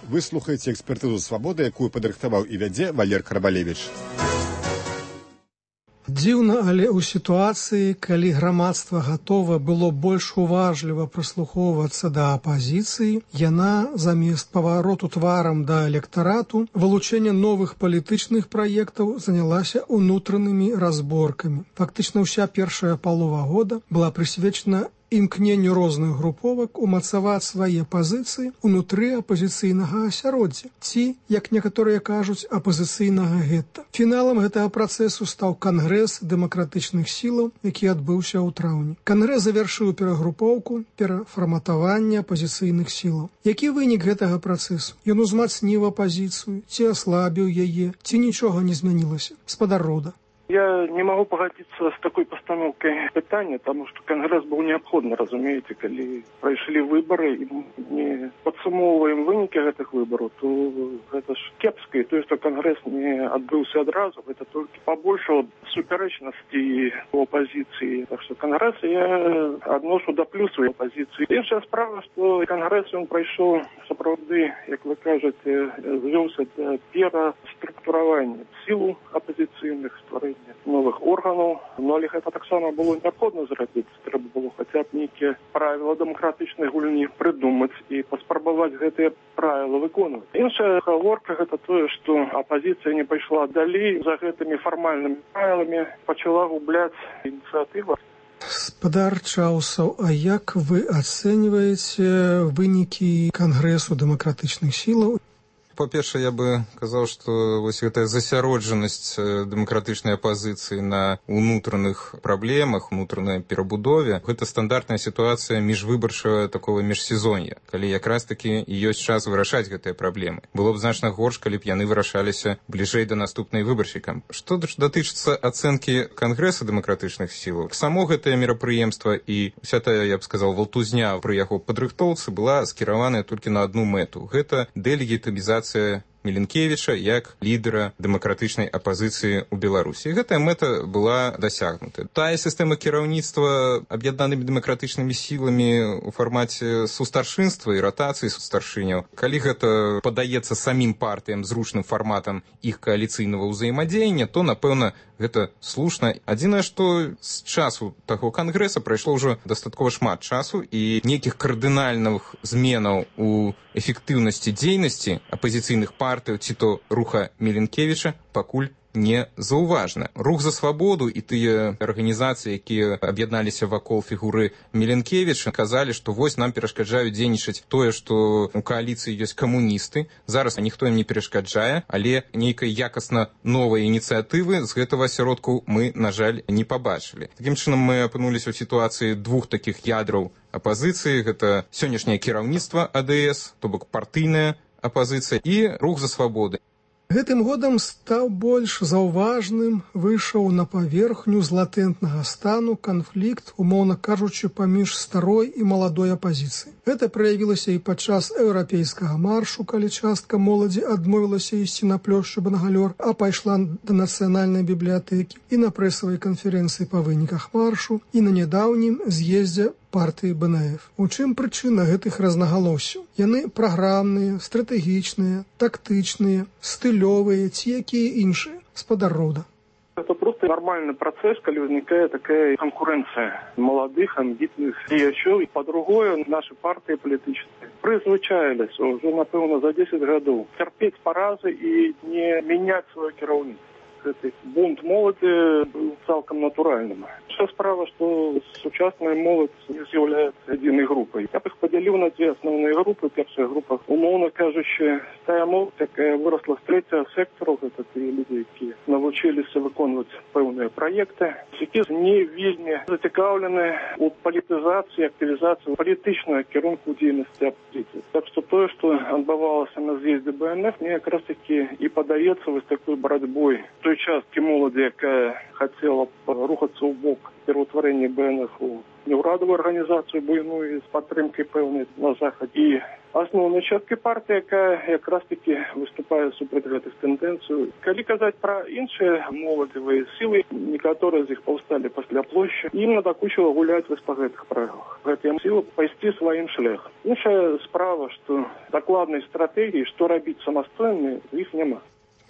Speaker 8: Вы слухаеце экспертызу «Свабоды», якую падрыхтаваў і вядзе Валер Карбалевіч.
Speaker 9: Дзіўна, але ў сітуацыі, калі грамадства гатова было больш уважліва прыслухоўвацца да апазіцыі, яна замест павароту тварам да электарату, вылучэння новых палітычных праектаў занялася ўнутранымі разборкамі. Фактычна ўся першая палова года была прысвечана імкненню розных груповак умацаваць свае пазіцыі ўнутры апазіцыйнага асяроддзя ці, як некаторыя кажуць, апазіцыйнага гетта. Фіналам гэтага працэсу стаў кангрэс дэмакратычных сілаў, які адбыўся ў траўні. Кангрэс завяршыў перагрупоўку, перафарматаванне апазіцыйных сілаў. Які вынік гэтага працэсу? Ён узмацніў апазіцыю, ці аслабіў яе, ці нічога не змянілася? Спадар Рода.
Speaker 27: Я не могу погодиться с такой постановкой питания, потому что Конгресс был необходим, разумеете, когда прошли выборы, и не подсумовываем выники этих выборов, то это ж кепско, то есть что Конгресс не отбылся одразу, это только побольше суперечности у оппозиции. Так что Конгресс я отношу до плюсу оппозиции. Іншая справа, что Конгресс он пройшов сапраўды, як вы кажете, звёўся для пераструктуравання сил оппозиционных, створения новых органов, но але гэта таксама было необходимо зрабіць. Трэба было хотя б нейкія правила дэмакратычнай гульні придумаць і паспрабаваць гэтыя правила выконваць. Іншая гаворка гэта тое, што апозіцыя не пайшла далей за гэтымі фармальнымі правіламі, пачала губляць ініцыятыву.
Speaker 9: Спадар Чаусаў, а як вы ацэньваеце вынікі Кангрэсу дэмакратычных сілаў?
Speaker 10: Па-першае, я бы казаў, што вось гэтая засяроджанасць дэмакратычнай апазіцыі на ўнутраных праблемах, унутранай перабудове, гэта стандартная сітуацыя міжвыбарчага такого міжсезоння, калі якраз такі і ёсць час вырашаць гэтыя праблемы. Было б значна горш, калі б яны вырашаліся бліжэй да наступнай выбарчай кампаніі. Што датычыцца ацэнкі Кангрэса дэмакратычных сілаў, само гэтае мерапрыемства і вся тая, я б сказаў, валтузня пры яго падрыхтоўцы была скіраваная толькі на адну мэту. Гэта дэлегітымізацыя Міленкевіча як лідера дэмакратычнай апазіцыі ў Беларусі. І гэтая мэта была дасягнута. Тая сістэма кіраўніцтва аб'яднанымі дэмакратычнымі сіламі ў фармаце сустаршынства і ратацыі сустаршыняў, калі гэта падаецца самім партыям зручным фарматам іх кааліцыйнага ўзаемадзеяння, то, напэўна, гэта слушна. Адзінае, што з часу таго кангрэса прайшло ўжо дастаткова шмат часу, і нейкіх кардынальных зменаў у эфектыўнасці дзейнасці апазіцыйных партый ці то руха Міленкевіча пакуль не заўважна. Рух за свабоду і тыя арганізацыі, якія аб'ядналіся вакол фігуры Міленкевіча, казалі, што вось нам перашкаджаюць дзейнічаць тое, што у кааліцыі ёсць камуністы. Зараз ніхто ім не перашкаджае, але нейкай якасна новай ініцыятывы з гэтага асяродку мы, на жаль, не пабачылі. Такім чынам мы апынуліся ў сітуацыі двух такіх ядраў апазіцыі. Гэта сённяшняе кіраўніцтва АДС, то бок партыйная апазіцыя, і рух за свабоды.
Speaker 9: Гэтым годам стаў больш заўважным, выйшаў на паверхню з латэнтнага стану канфлікт, умоўна кажучы, паміж старой і маладой апазіцыяй. Гэта праявілася і падчас еўрапейскага маршу, калі частка моладзі адмовілася ісці на плошчу Бангалёр, а пайшла да нацыянальнай бібліятэкі, і на прэсавай канферэнцыі па выніках маршу, і на нядаўнім з'ездзе партыі БНФ. У чым прычына гэтых рознагалоссяў? Яны праграмныя, стратэгічныя, тактычныя, стылёвыя ці якія іншыя? Спадар Рода.
Speaker 27: Это просто нормальный процесс, когда возникает такая конкуренция молодых, амбитных діячів. И по-другое, наши партии политические призвичаились уже, напевно, за 10 годов терпеть поразы и не менять свое кіраўніцтва. Гэты бунт моладзі быў цалкам натуральным. Вся справа, што сучасная моладзь не з'яўляецца адзінай групай. Я б іх падзяліў на дзве асноўныя групы. Першая група, умоўна кажучы, тая моладзь, якая вырасла з трэцяга сектару, гэта тыя людзі, якія навучыліся выконваць пэўныя праекты, якія не вельмі зацікаўлены ў палітызацыі, актывізацыі палітычнага кірунку дзейнасці апозіцыі. Так што тое, што адбывалася на з'ездзе БНФ, мне якраз такі і падаецца вось такой барацьбой той часткі моладзі, якая хацела рухацца ў бок пераўтварэння БНФ у неўрадавую арганізацыю буйную з падтрымкай пэўнай на захадзе, і асноўнай часткай партыі, якая якраз такі выступае супраць гэтых тэндэнцый. Калі казаць пра іншыя моладзевыя сілы, некаторыя з іх паўсталі пасля плошчы, ім надакучыла гуляць вось па гэтых правілах. Гэтыя сілы пайсці сваім шляхам. Іншая справа, што дакладнай стратэгіі, што рабіць самастойна, іх няма.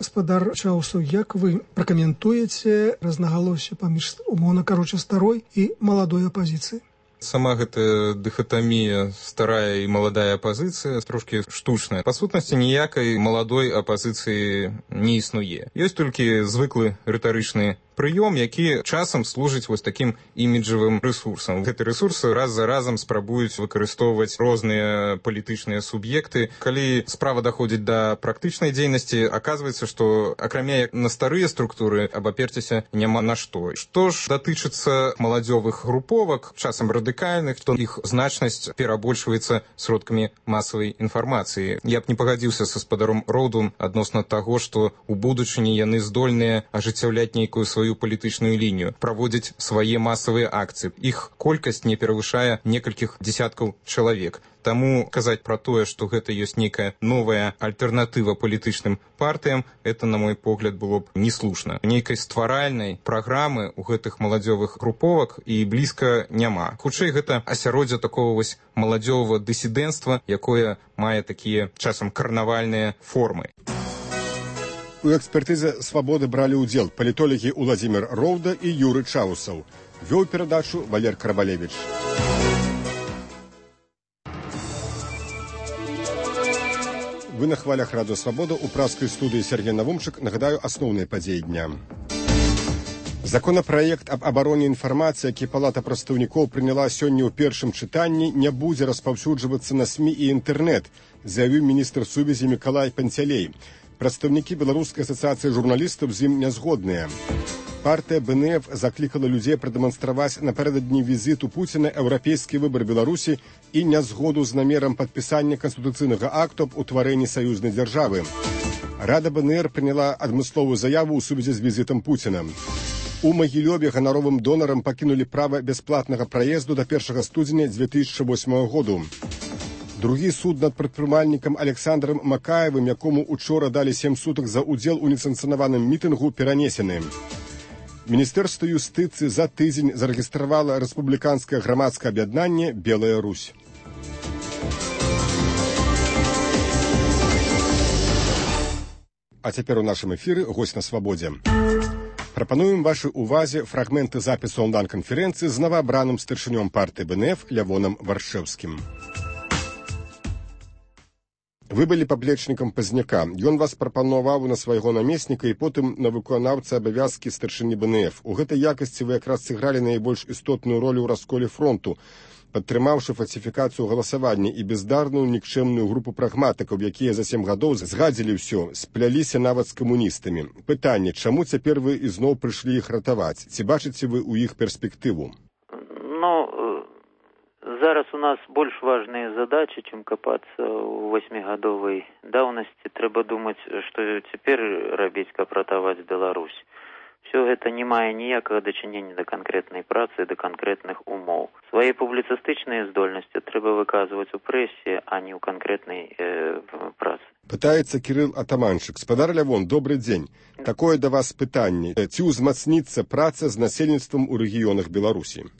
Speaker 9: Спадар Чаусаў, як вы пракаментуеце рознагалоссі паміж, умоўна кажучы, старой і маладой апазіцыяй?
Speaker 10: Сама гэтая дыхатамія старая і маладая апазіцыя трошкі штучная. Па сутнасці ніякай маладой апазіцыі не існуе. Ёсць толькі звыклы рытарычны прыём, які часам служыць вось такім іміджавым рэсурсам. Гэты рэсурс раз за разам спрабуюць выкарыстоўваць розныя палітычныя суб'екты. Калі справа даходзіць да практычнай дзейнасці, аказваецца, што акрамя як на старыя структуры абаперціся няма на што. Што ж датычыцца маладзёвых груповак, часам радыкальных, то іх значнасць перабольшваецца сродкамі масавай інфармацыі. Я б не пагадзіўся са спадаром Роудом адносна таго, што ў будучыні яны здольныя ажыццяўляць нейкую сваю палітычную лінію, праводзіць свае масавыя акцыі. Іх колькасць не перавышае некалькіх дзесяткаў чалавек. Таму казаць пра тое, што гэта ёсць нейкая новая альтэрнатыва палітычным партыям, это, на мой погляд, было б неслушна. Нейкай стваральнай праграмы ў гэтых маладзёвых груповак і блізка няма. Хутчэй, гэта асяроддзе такого вось маладзёвага дысідэнцтва, якое мае такія часам карнавальныя формы.
Speaker 8: У экспертызе «Свабоды» бралі ўдзел палітолагі Уладзімір Роўда і Юры Чаусаў. Вёў перадачу Валер Карабалевіч. Вы на хвалях радыё «Свабода». У праскай студыі Сергей Навумчык. Нагадаю асноўныя падзеі дня. Законапраект аб абароне інфармацыі, які Палата прадстаўнікоў прыняла сёння ў першым чытанні, не будзе распаўсюджвацца на СМІ і інтэрнэт, заявіў міністр сувязі Мікалай Панцялей. Прадстаўнікі Беларускай асацыяцыі журналістаў з ім не згодныя. Партыя БНФ заклікала людзей прадэманстраваць напярэдадні візіту Пуціна еўрапейскі выбар Беларусі і нязгоду з намерам падпісання канстытуцыйнага акту аб утварэнні саюзнай дзяржавы. Рада БНР прыняла адмысловую заяву ў сувязі з візітам Пуціна. У Магілёве ганаровым донарам пакінулі права бясплатнага праезду да 1 студзеня 2008 году. Другі суд над прадпрымальнікам Александром Макаевым, якому учора далі 7 сутак за ўдзел у несанкцыянаваным мітынгу, перанесены. Міністэрства юстыцыі за тыдзень зарэгістравала рэспубліканскае грамадскае аб'яднанне «Белая Русь». А цяпер у нашым эфіры госць на «Свабодзе». Прапануем вашай увазе фрагменты запісу онлайн-канферэнцыі з новаабраным старшынём партыі БНФ Лявонам Варшэўскім. Вы былі паплечнікам Пазняка. Ён вас прапанаваў на свайго намесніка і потым на выканаўцы абавязкі старшыні БНФ. У гэтай якасці вы якраз сыгралі найбольш істотную ролю ў расколе фронту, падтрымаўшы фальсіфікацыю галасавання і бездарную нікчэмную групу прагматыкаў, якія за 7 гадоў згадзілі ўсё, спляліся нават з камуністамі. Пытанне, чаму цяпер вы ізноў прыйшлі іх ратаваць? Ці бачыце вы ў іх перспектыву?
Speaker 28: Зараз у нас больш важныя задачы, чым капацца ў 8-гадовай даўнасці. Трэба думаць, што цяпер рабіць, каб ратаваць Беларусь. Все гэта не мае ніякага дачынення да канкрэтнай працы, да канкрэтных умоў. Свае публіцыстычныя здольнасці трэба выказваць у прэсе, а не ў канкрэтнай працы.
Speaker 8: Пытаецца Кірыл Атаманчык. Спадар Лявон, добры дзень. Такое да вас пытанне. Ці ўзмацніцца праца з насельніцтвам у рэгіёнах Беларусі?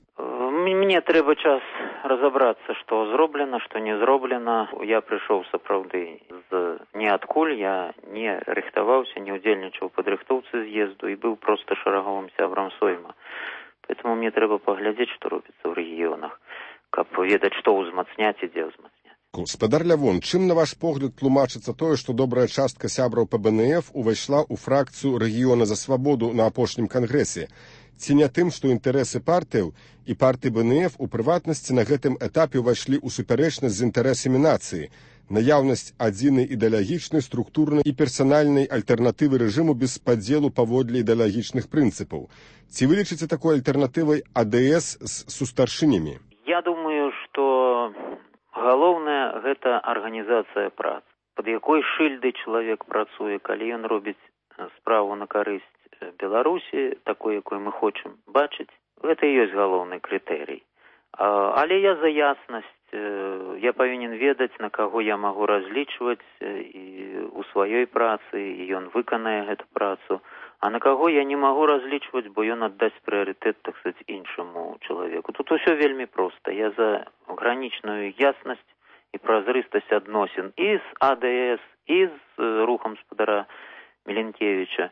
Speaker 28: Мне трэба час разабрацца, што зроблена, што не зроблена. Я прыйшоў сапраўды з ніадкуль, я не рыхтаваўся, не ўдзельнічаў у падрыхтоўцы з'езду і быў проста шараговым сябрам сойма. Поэтому мне трэба паглядзець, што робіцца ў рэгіёнах, каб ведаць, што ўзмацняць і дзе ўзмацняць.
Speaker 8: Спадар Лявон, чым, на ваш погляд, тлумачыцца тое, што добрая частка сябраў па БНФ увайшла ў фракцыю рэгіёна за свабоду на апошнім кангрэсе? Ці не тым, што інтарэсы партыяў і партыі БНФ у прыватнасці на гэтым этапе ўвайшлі ў супярэчнасць з інтарэсамі нацыі, наяўнасць адзінай ідэалагічнай, структурнай і персанальнай альтэрнатывы рэжыму без падзелу паводле ідэалагічных прынцыпаў. Ці вы лічыце такой альтэрнатывай АДС з сустаршынямі?
Speaker 28: Я думаю, што галоўнае гэта арганізацыя працы. Пад якой шыльдай чалавек працуе, калі ён робіць справу на карысць Беларусі, такой, якой мы хочам бачыць, гэта і ёсць галоўны крытэрый. Але я за яснасць, я павінен ведаць, на каго я магу разлічваць і у сваёй працы, і ён выканае гэту працу, а на каго я не магу разлічваць, бо ён аддасць прыярытэт, так сказаць, іншаму чалавеку. Тут усё вельмі проста. Я за гранічную яснасць і празрыстасць адносін і з АДС, і з рухам спадара Міленкевіча.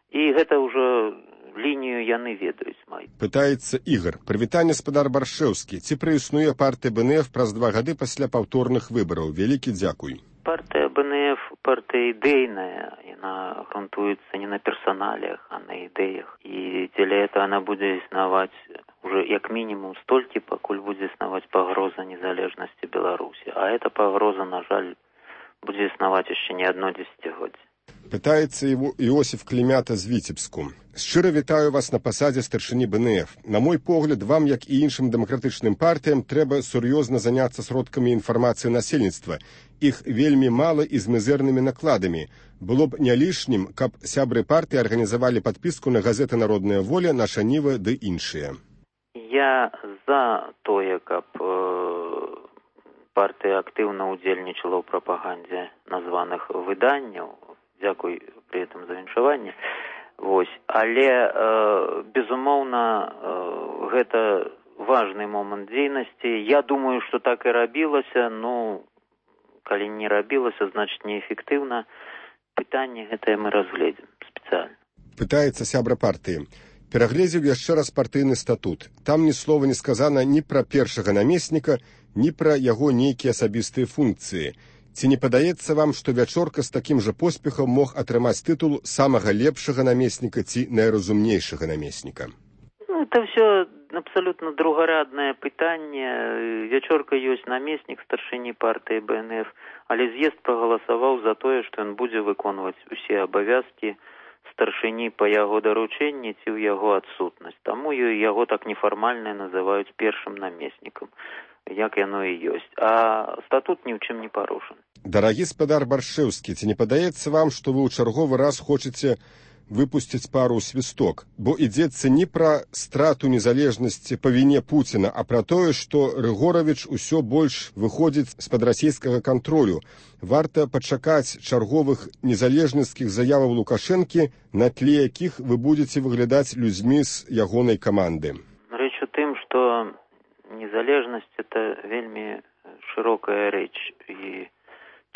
Speaker 28: І гэта ўжо лінію яны ведаюць май.
Speaker 8: Пытаецца Ігар. Прывітанне, спадар Баршэўскі. Ці праіснуе партыя БНФ праз 2 гады пасля паўторных выбараў? Вялікі дзякуй.
Speaker 28: Партыя БНФ, партыя ідэйная, яна грунтуецца не на персоналиях, а на ідэях. І дзеля этого она будзе існаваць уже як мінімум столькі, пакуль будзе існаваць пагроза незалежнасці Беларусі. А эта пагроза, на жаль, будзе існаваць яшчэ не одно дзесяцігоддзе.
Speaker 8: Пытаецца Іосиф Клімята з Віцебску. Шчыра вітаю вас на пасадзе старшыні БНФ. На мой погляд, вам, як і іншым дэмакратычным партыям, трэба сур'ёзна заняцца сродкамі інфармацыі насельніцтва. Іх вельмі мала і з мізэрнымі накладамі. Было б не лішнім, каб сябры партыі арганізавалі падпіску на газеты «Народная воля», «Наша Ніва» ды іншыя.
Speaker 28: Я за тое, каб партыя актыўна ўдзельнічала ў прапагандзе названых выданняў. Дзякуй пры гэтым за віншаванне. Вось. Але, безумоўна, гэта важны момант дзейнасці. Я думаю, што так і рабілася, ну, калі не рабілася, значыць неэфектыўна. Пытанне гэтае мы разгледзім спецыяльна.
Speaker 8: Пытаецца сябра партыі. Перагледзеў яшчэ раз партыйны статут. Там ні слова не сказана ні пра першага намесніка, ні пра яго нейкія асабістыя функцыі. Ці не падаецца вам, што Вячорка з такім жа поспехам мог атрымаць тытул самага лепшага намесніка ці найразумнейшага намесніка?
Speaker 28: Ну, это все абсолютно другараднае пытанне. Вячорка ёсць намеснік старшыні партыі БНФ, але з'езд прагаласаваў за тое, што ён будзе выконваць усе абавязкі старшыні па яго даручэнні ці ў яго адсутнасць. Таму яго так нефармальна называюць першым намеснікам, як яно і ёсць. А статут ні ў чым не парушаны.
Speaker 8: Дарагі спадар Баршэўскі, ці не падаецца вам, што вы ў чарговы раз хочаце выпусціць пару ў свісток, бо ідзецца не пра страту незалежнасці па віне Пуціна, а пра тое, што Рыгоравіч усё больш выходзіць з-пад расійскага кантролю. Варта пачакаць чарговых незалежніцкіх заяваў Лукашэнкі, на тле якіх вы будзеце выглядаць людзьмі з ягонай каманды.
Speaker 28: Рэч у тым, што незалежнасць – это вельмі шырокая рэч. І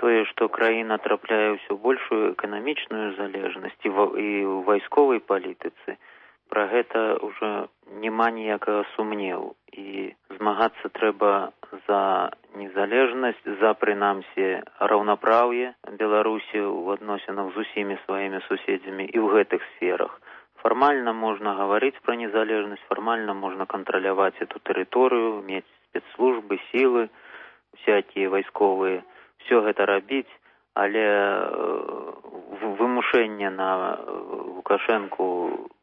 Speaker 28: тое, што краіна трапляе ўсё большую эканамічную залежнасць і ў вайсковай палітыцы, пра гэта ўжо няма ніякага сумневу. І змагацца трэба за незалежнасць, за, прынамсі, раўнапраўе Беларусі ў адносінах з усімі сваімі суседзямі і ў гэтых сферах. Фармальна можна гаварыць пра незалежнасць, фармальна можна кантраляваць эту тэрыторыю, мець спецслужбы, сілы, всякія вайсковыя, все гэта рабіць, але вымушэнне на Лукашэнку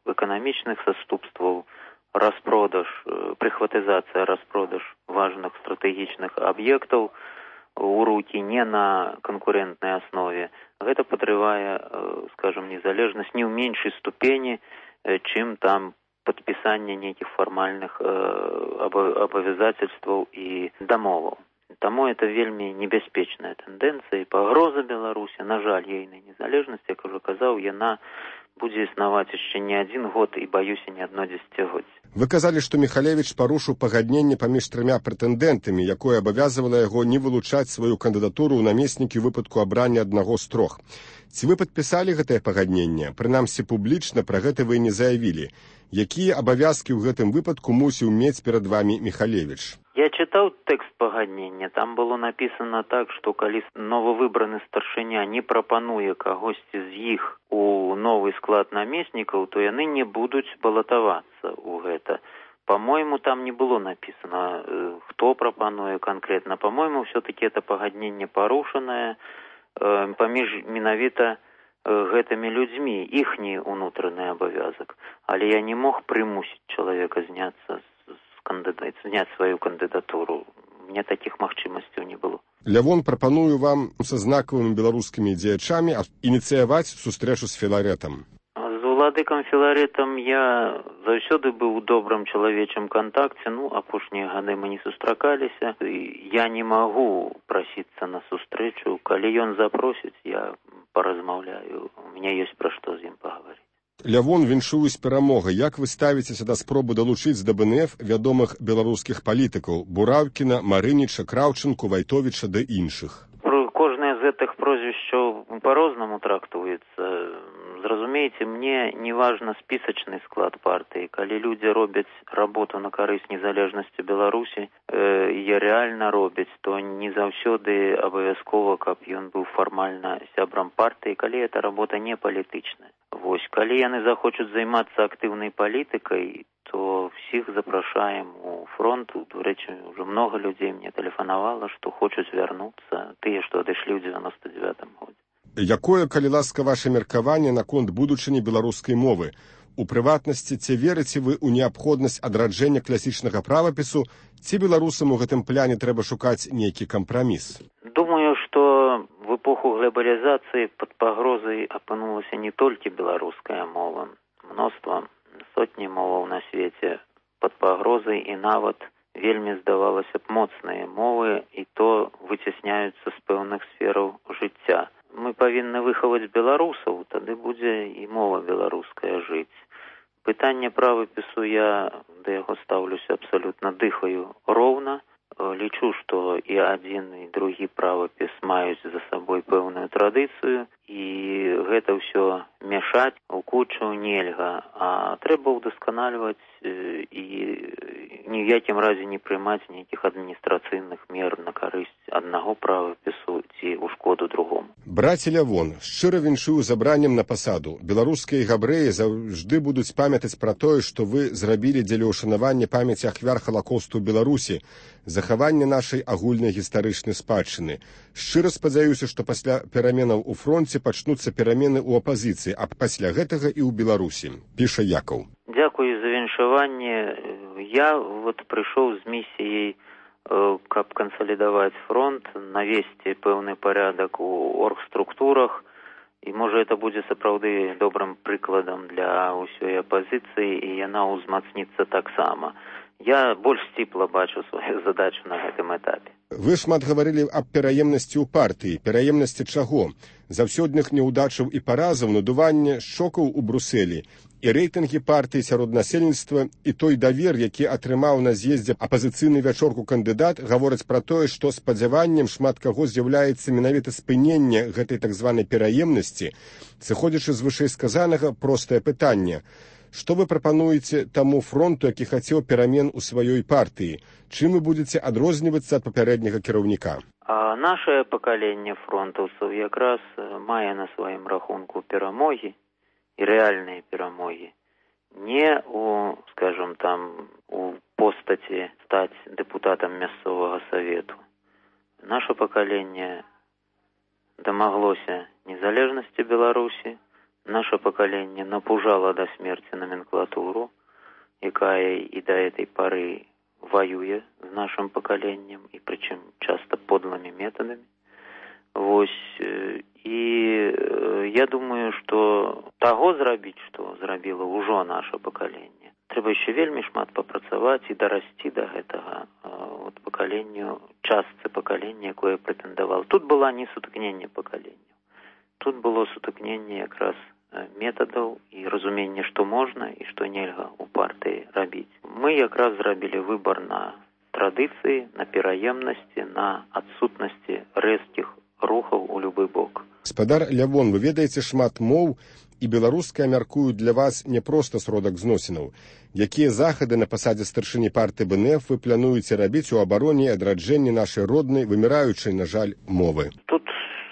Speaker 28: эканамічных саступстваў, распродаж, прыхватызацыя, распродаж важных стратэгічных аб'ектаў у рукі не на канкурентнай аснове, гэта падрывае, скажем, незалежнасць не ў меншай ступені, чым там падпісанне нейкіх фармальных абавязацельстваў і дамоваў. Таму это вельмі небяспечная тэндэнцыя і пагроза Беларусі, на жаль, ейнай незалежнасці, як ужо казаў, яна будзе існаваць яшчэ не адзін год і, баюся, не одно дзесяцігоддзе.
Speaker 8: Вы казалі, што Міхалевіч парушыў пагадненне паміж трыма прэтэндэнтамі, якое абавязвала яго не вылучаць сваю кандыдатуру ў намеснікі ў выпадку абрання аднаго з трох. Ці вы падпісалі гэтае пагадненне? Прынамсі, публічна пра гэта вы не заявілі. Якія абавязкі ў гэтым выпадку мусіў мець перад вамі Міхалевіч?
Speaker 28: Я чытаў тэкст пагаднення. Там было напісана так, што калі новавыбраны старшыня не прапануе кагосьці з іх у новы склад намеснікаў, то яны не будуць балатавацца ў гэта. По-моему, там не было напісана, хто прапануе канкрэтна. По-моему, все-таки это пагадненне парушанае паміж менавіта гэтымі людзьмі, іхні ўнутраны абавязак. Але я не мог прымусіць чалавека зняць сваю кандыдатуру. Мне такіх магчымасцяў не было.
Speaker 8: Лявон, прапаную вам са знакавымі беларускімі дзеячамі ініцыяваць сустрэчу з Філарэтам.
Speaker 28: З уладыкам Філарэтам я заўсёды быў у добрым чалавечым кантакце. Апошнія гады мы не сустракаліся. Я не магу прасіцца на сустрэчу. Калі ён запросіць, я паразмаўляю. У меня ёсць пра што з ім пагаварыць.
Speaker 8: Лявон, віншуюсь перамогай. Як вы ставіцеся да спробы далучыць да БНФ вядомых беларускіх палітыкаў Бураўкіна, Марыніча, Краўчынку, Вайтовіча ды іншых?
Speaker 28: Кожнае з гэтых прозвішчаў па-рознаму трактуецца. Зразумееце, мне не важна спісачны склад партыі. Калі людзі робяць работу на карысць незалежнасці Беларусі, і рэальна робяць, то не заўсёды абавязкова, каб ён быў фармальна сябрам партыі, калі эта работа не палітычная. Вось, калі яны захочуць займацца актыўнай палітыкай, то всіх запрашаем у фронт. До рэчы, уже много людзей мне тэлефанавала, што хочуць вярнуцца, тыя, што адышлі ў 99-м годзе.
Speaker 8: Якое, калі ласка, ваше меркаванне наконт будучыні беларускай мовы? У прыватнасці, ці верыце вы ў неабходнасць адраджэння класічнага правапісу, ці беларусам у гэтым пляне трэба шукаць нейкі кампраміс?
Speaker 28: Думаю, што в эпоху глобалізацыі пад пагрозай апынулася не толькі беларуская мова. Мноства, сотні моваў на свеце пад пагрозай, і нават вельмі, здавалася б, моцныя мовы, і то выцясняюцца з пэўных сфераў жыцця. Мы павінны выхаваць беларусаў, тады будзе і мова беларуская жыць. Пытанне правапісу, я да яго стаўлюся абсалютна, дыхаю роўна. Лічу, што і адзін, і другі правапіс маюць за сабой пэўную традыцыю, і гэта ўсё мяшаць у кучу нельга, а трэба ўдасканальваць і ні ў якім разе не прымаць нейкіх адміністрацыйных мер на карысць аднаго правапісу ці ў шкоду другому.
Speaker 8: Браце Лявон, шчыра віншую забраннем на пасаду. Беларускія габрэі заўжды будуць памятаць пра тое, што вы зрабілі дзеля ўшанавання памяці ахвяр Халакосту ў Беларусі, захавання нашай агульнай гістарычнай спадчыны. Шчыра спадзяюся, што пасля пераменаў у фронце пачнуцца перамены ў апазіцыі, а пасля гэтага і ў Беларусі, піша Якаў.
Speaker 28: Дзякую за віншаванне. Я прыйшоў з місіяй, каб кансалідаваць фронт, навесці пэўны парядак у оргструктурах, і можа это будзе сапраўды добрым прыкладам для ўсёй апазіцыі, і яна ўзмацніцца таксама. Я больш сціпла бачу сваю задачу на гэтым этапе.
Speaker 8: Вы шмат гаварылі аб пераемнасці ў партыі. Пераемнасці чаго? Заўсёдных няўдачаў і паразаў, надуванне шокаў у Брусэлі, і рэйтынгі партыі сярод насельніцтва, і той давер, які атрымаў на з'ездзе апазіцыйны вячорку кандыдат, гавораць пра тое, што спадзяваннем шмат каго з'яўляецца менавіта спыненне гэтай так званай пераемнасці. Сыходзячы з вышэйсказанага, простае пытанне. Што вы прапануеце таму фронту, які хацеў перамен у сваёй партыі? Чым вы будзеце адрознівацца ад папярэдняга кіраўніка?
Speaker 28: Нашае пакаленне фронтаўцаў якраз мае на сваім рахунку перамогі і рэальныя перамогі. Не у, скажем, у постаці стаць дэпутатам мясцовага савету. Наша пакаленне дамаглося незалежнасці Беларусі. Наше пакаленне напужала да смерці номенклатуру, якая і да этой пары воюе з нашим пакаленнем, і прычым часто подлымі метадамі. Вось, і я думаю, што таго зрабіць, што зрабіла ўжо наше пакаленне, трэба яшчэ вельмі шмат папрацаваць і дарасці да гэтага пакаленню, частцы пакалення, якое прэтэндавала. Тут была не сутыкненне пакаленняў. Тут было сутыкненне якраз метадаў і разуменне, што можна і што нельга ў партыі рабіць. Мы якраз зрабілі выбар на традыцыі, на пераемнасці, на адсутнасці рэзкіх рухаў у любы бок.
Speaker 8: Гаспадар Лявон, вы ведаеце шмат моў, і беларуская, мяркую, для вас не проста сродак зносінаў. Якія захады на пасадзе старшыні партыі БНФ вы плануеце рабіць у абароне і адраджэнні нашай роднай, выміраючай, на жаль, мовы?
Speaker 28: Тут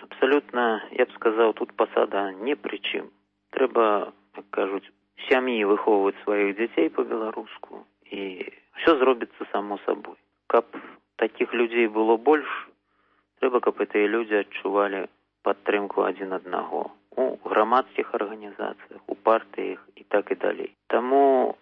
Speaker 28: абсалютна, я б сказаў, тут пасада не пры чым. Трэба, як кажуць, сям'і выхоўваць сваіх дзяцей па-беларуску, і ўсё зробіцца само сабой. Каб такіх людзей было больш, трэба, каб гэтыя людзі адчувалі падтрымку адзін аднаго у грамадскіх арганізацыях, у партыях і так і далей. Таму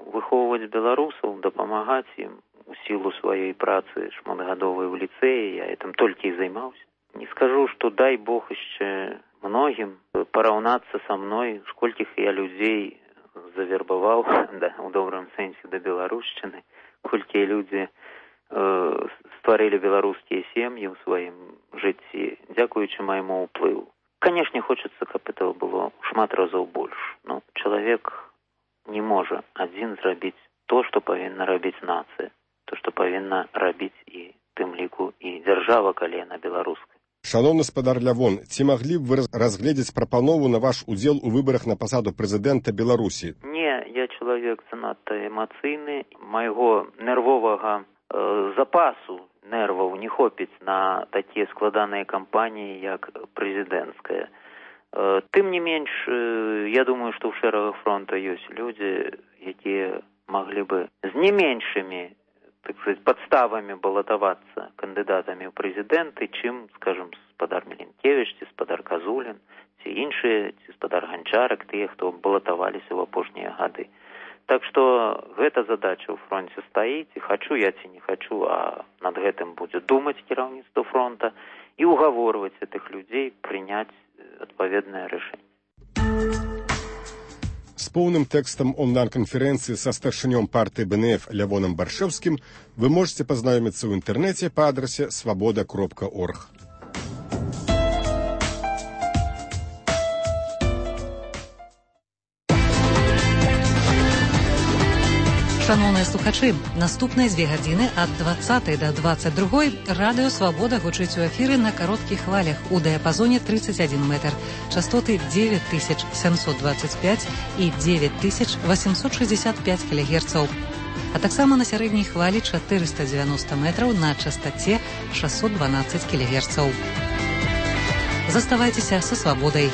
Speaker 28: выхоўваць беларусаў, дапамагаць ім у сілу сваёй працы шматгадовай у ліцэі, я гэтым толькі і займаўся. Не скажу, што дай Бог яшчэ многім параўнацца са мной, сколькіх я людзей завербаваў, у добрым сэнсе, да беларушчыны, колькі людзі стварылі беларускія сем'і ў сваім жыцці, дзякуючы майму ўплыву. Канешне, хочацца, каб этого было шмат разоў больш. Но чалавек не можа адзін зрабіць то, што павінна рабіць нацыя, то, што павінна рабіць і тым ліку і дзяржава, калі яна беларуская.
Speaker 8: Шановны спадар Лявон, ці маглі б вы разгледзець прапанову на ваш удзел у выбарах на пасаду прэзідэнта Беларусі?
Speaker 28: Не, я чалавек занадта эмацыйны. Майго нервовага запасу нерваў не хопіць на такія складаныя кампаніі, як прэзідэнцкая. Тым не менш, я думаю, што ў шэрагах фронта ёсць людзі, якія маглі бы з не меншымі, так сказать, падставамі балатавацца кандыдатамі ў прэзідэнты, чым, скажем, спадар Меленкевіч, ці спадар Казулін, ці іншыя, ці спадар Ганчарак, тыя, хто балатаваліся ў апошнія гады. Так што гэта задача ў фронце стаіць, і хачу я ці не хачу, а над гэтым будзе думаць кіраўніцтва фронта і угаворваць гэтых людзей прыняць адпаведнае рашэнне.
Speaker 8: З поўным тэкстам онлайн-канферэнцыі са старшынём партыі БНФ Лявоном Баршэўскім вы можете пазнаёміцца ў інтэрнэце па адрасе свабода.орг.
Speaker 2: Шановныя слухачы, наступныя 2 гадзіны ад 20 до 22 радыё «Свабода» гучыць у эфіры на кароткіх хвалях у дыяпазоне 31 метр, частоты 9725 і 9865 кГц, а таксама на сярэдняй хвалі 490 метраў на частоце 612 кГц. Заставайцеся са «Свабодай».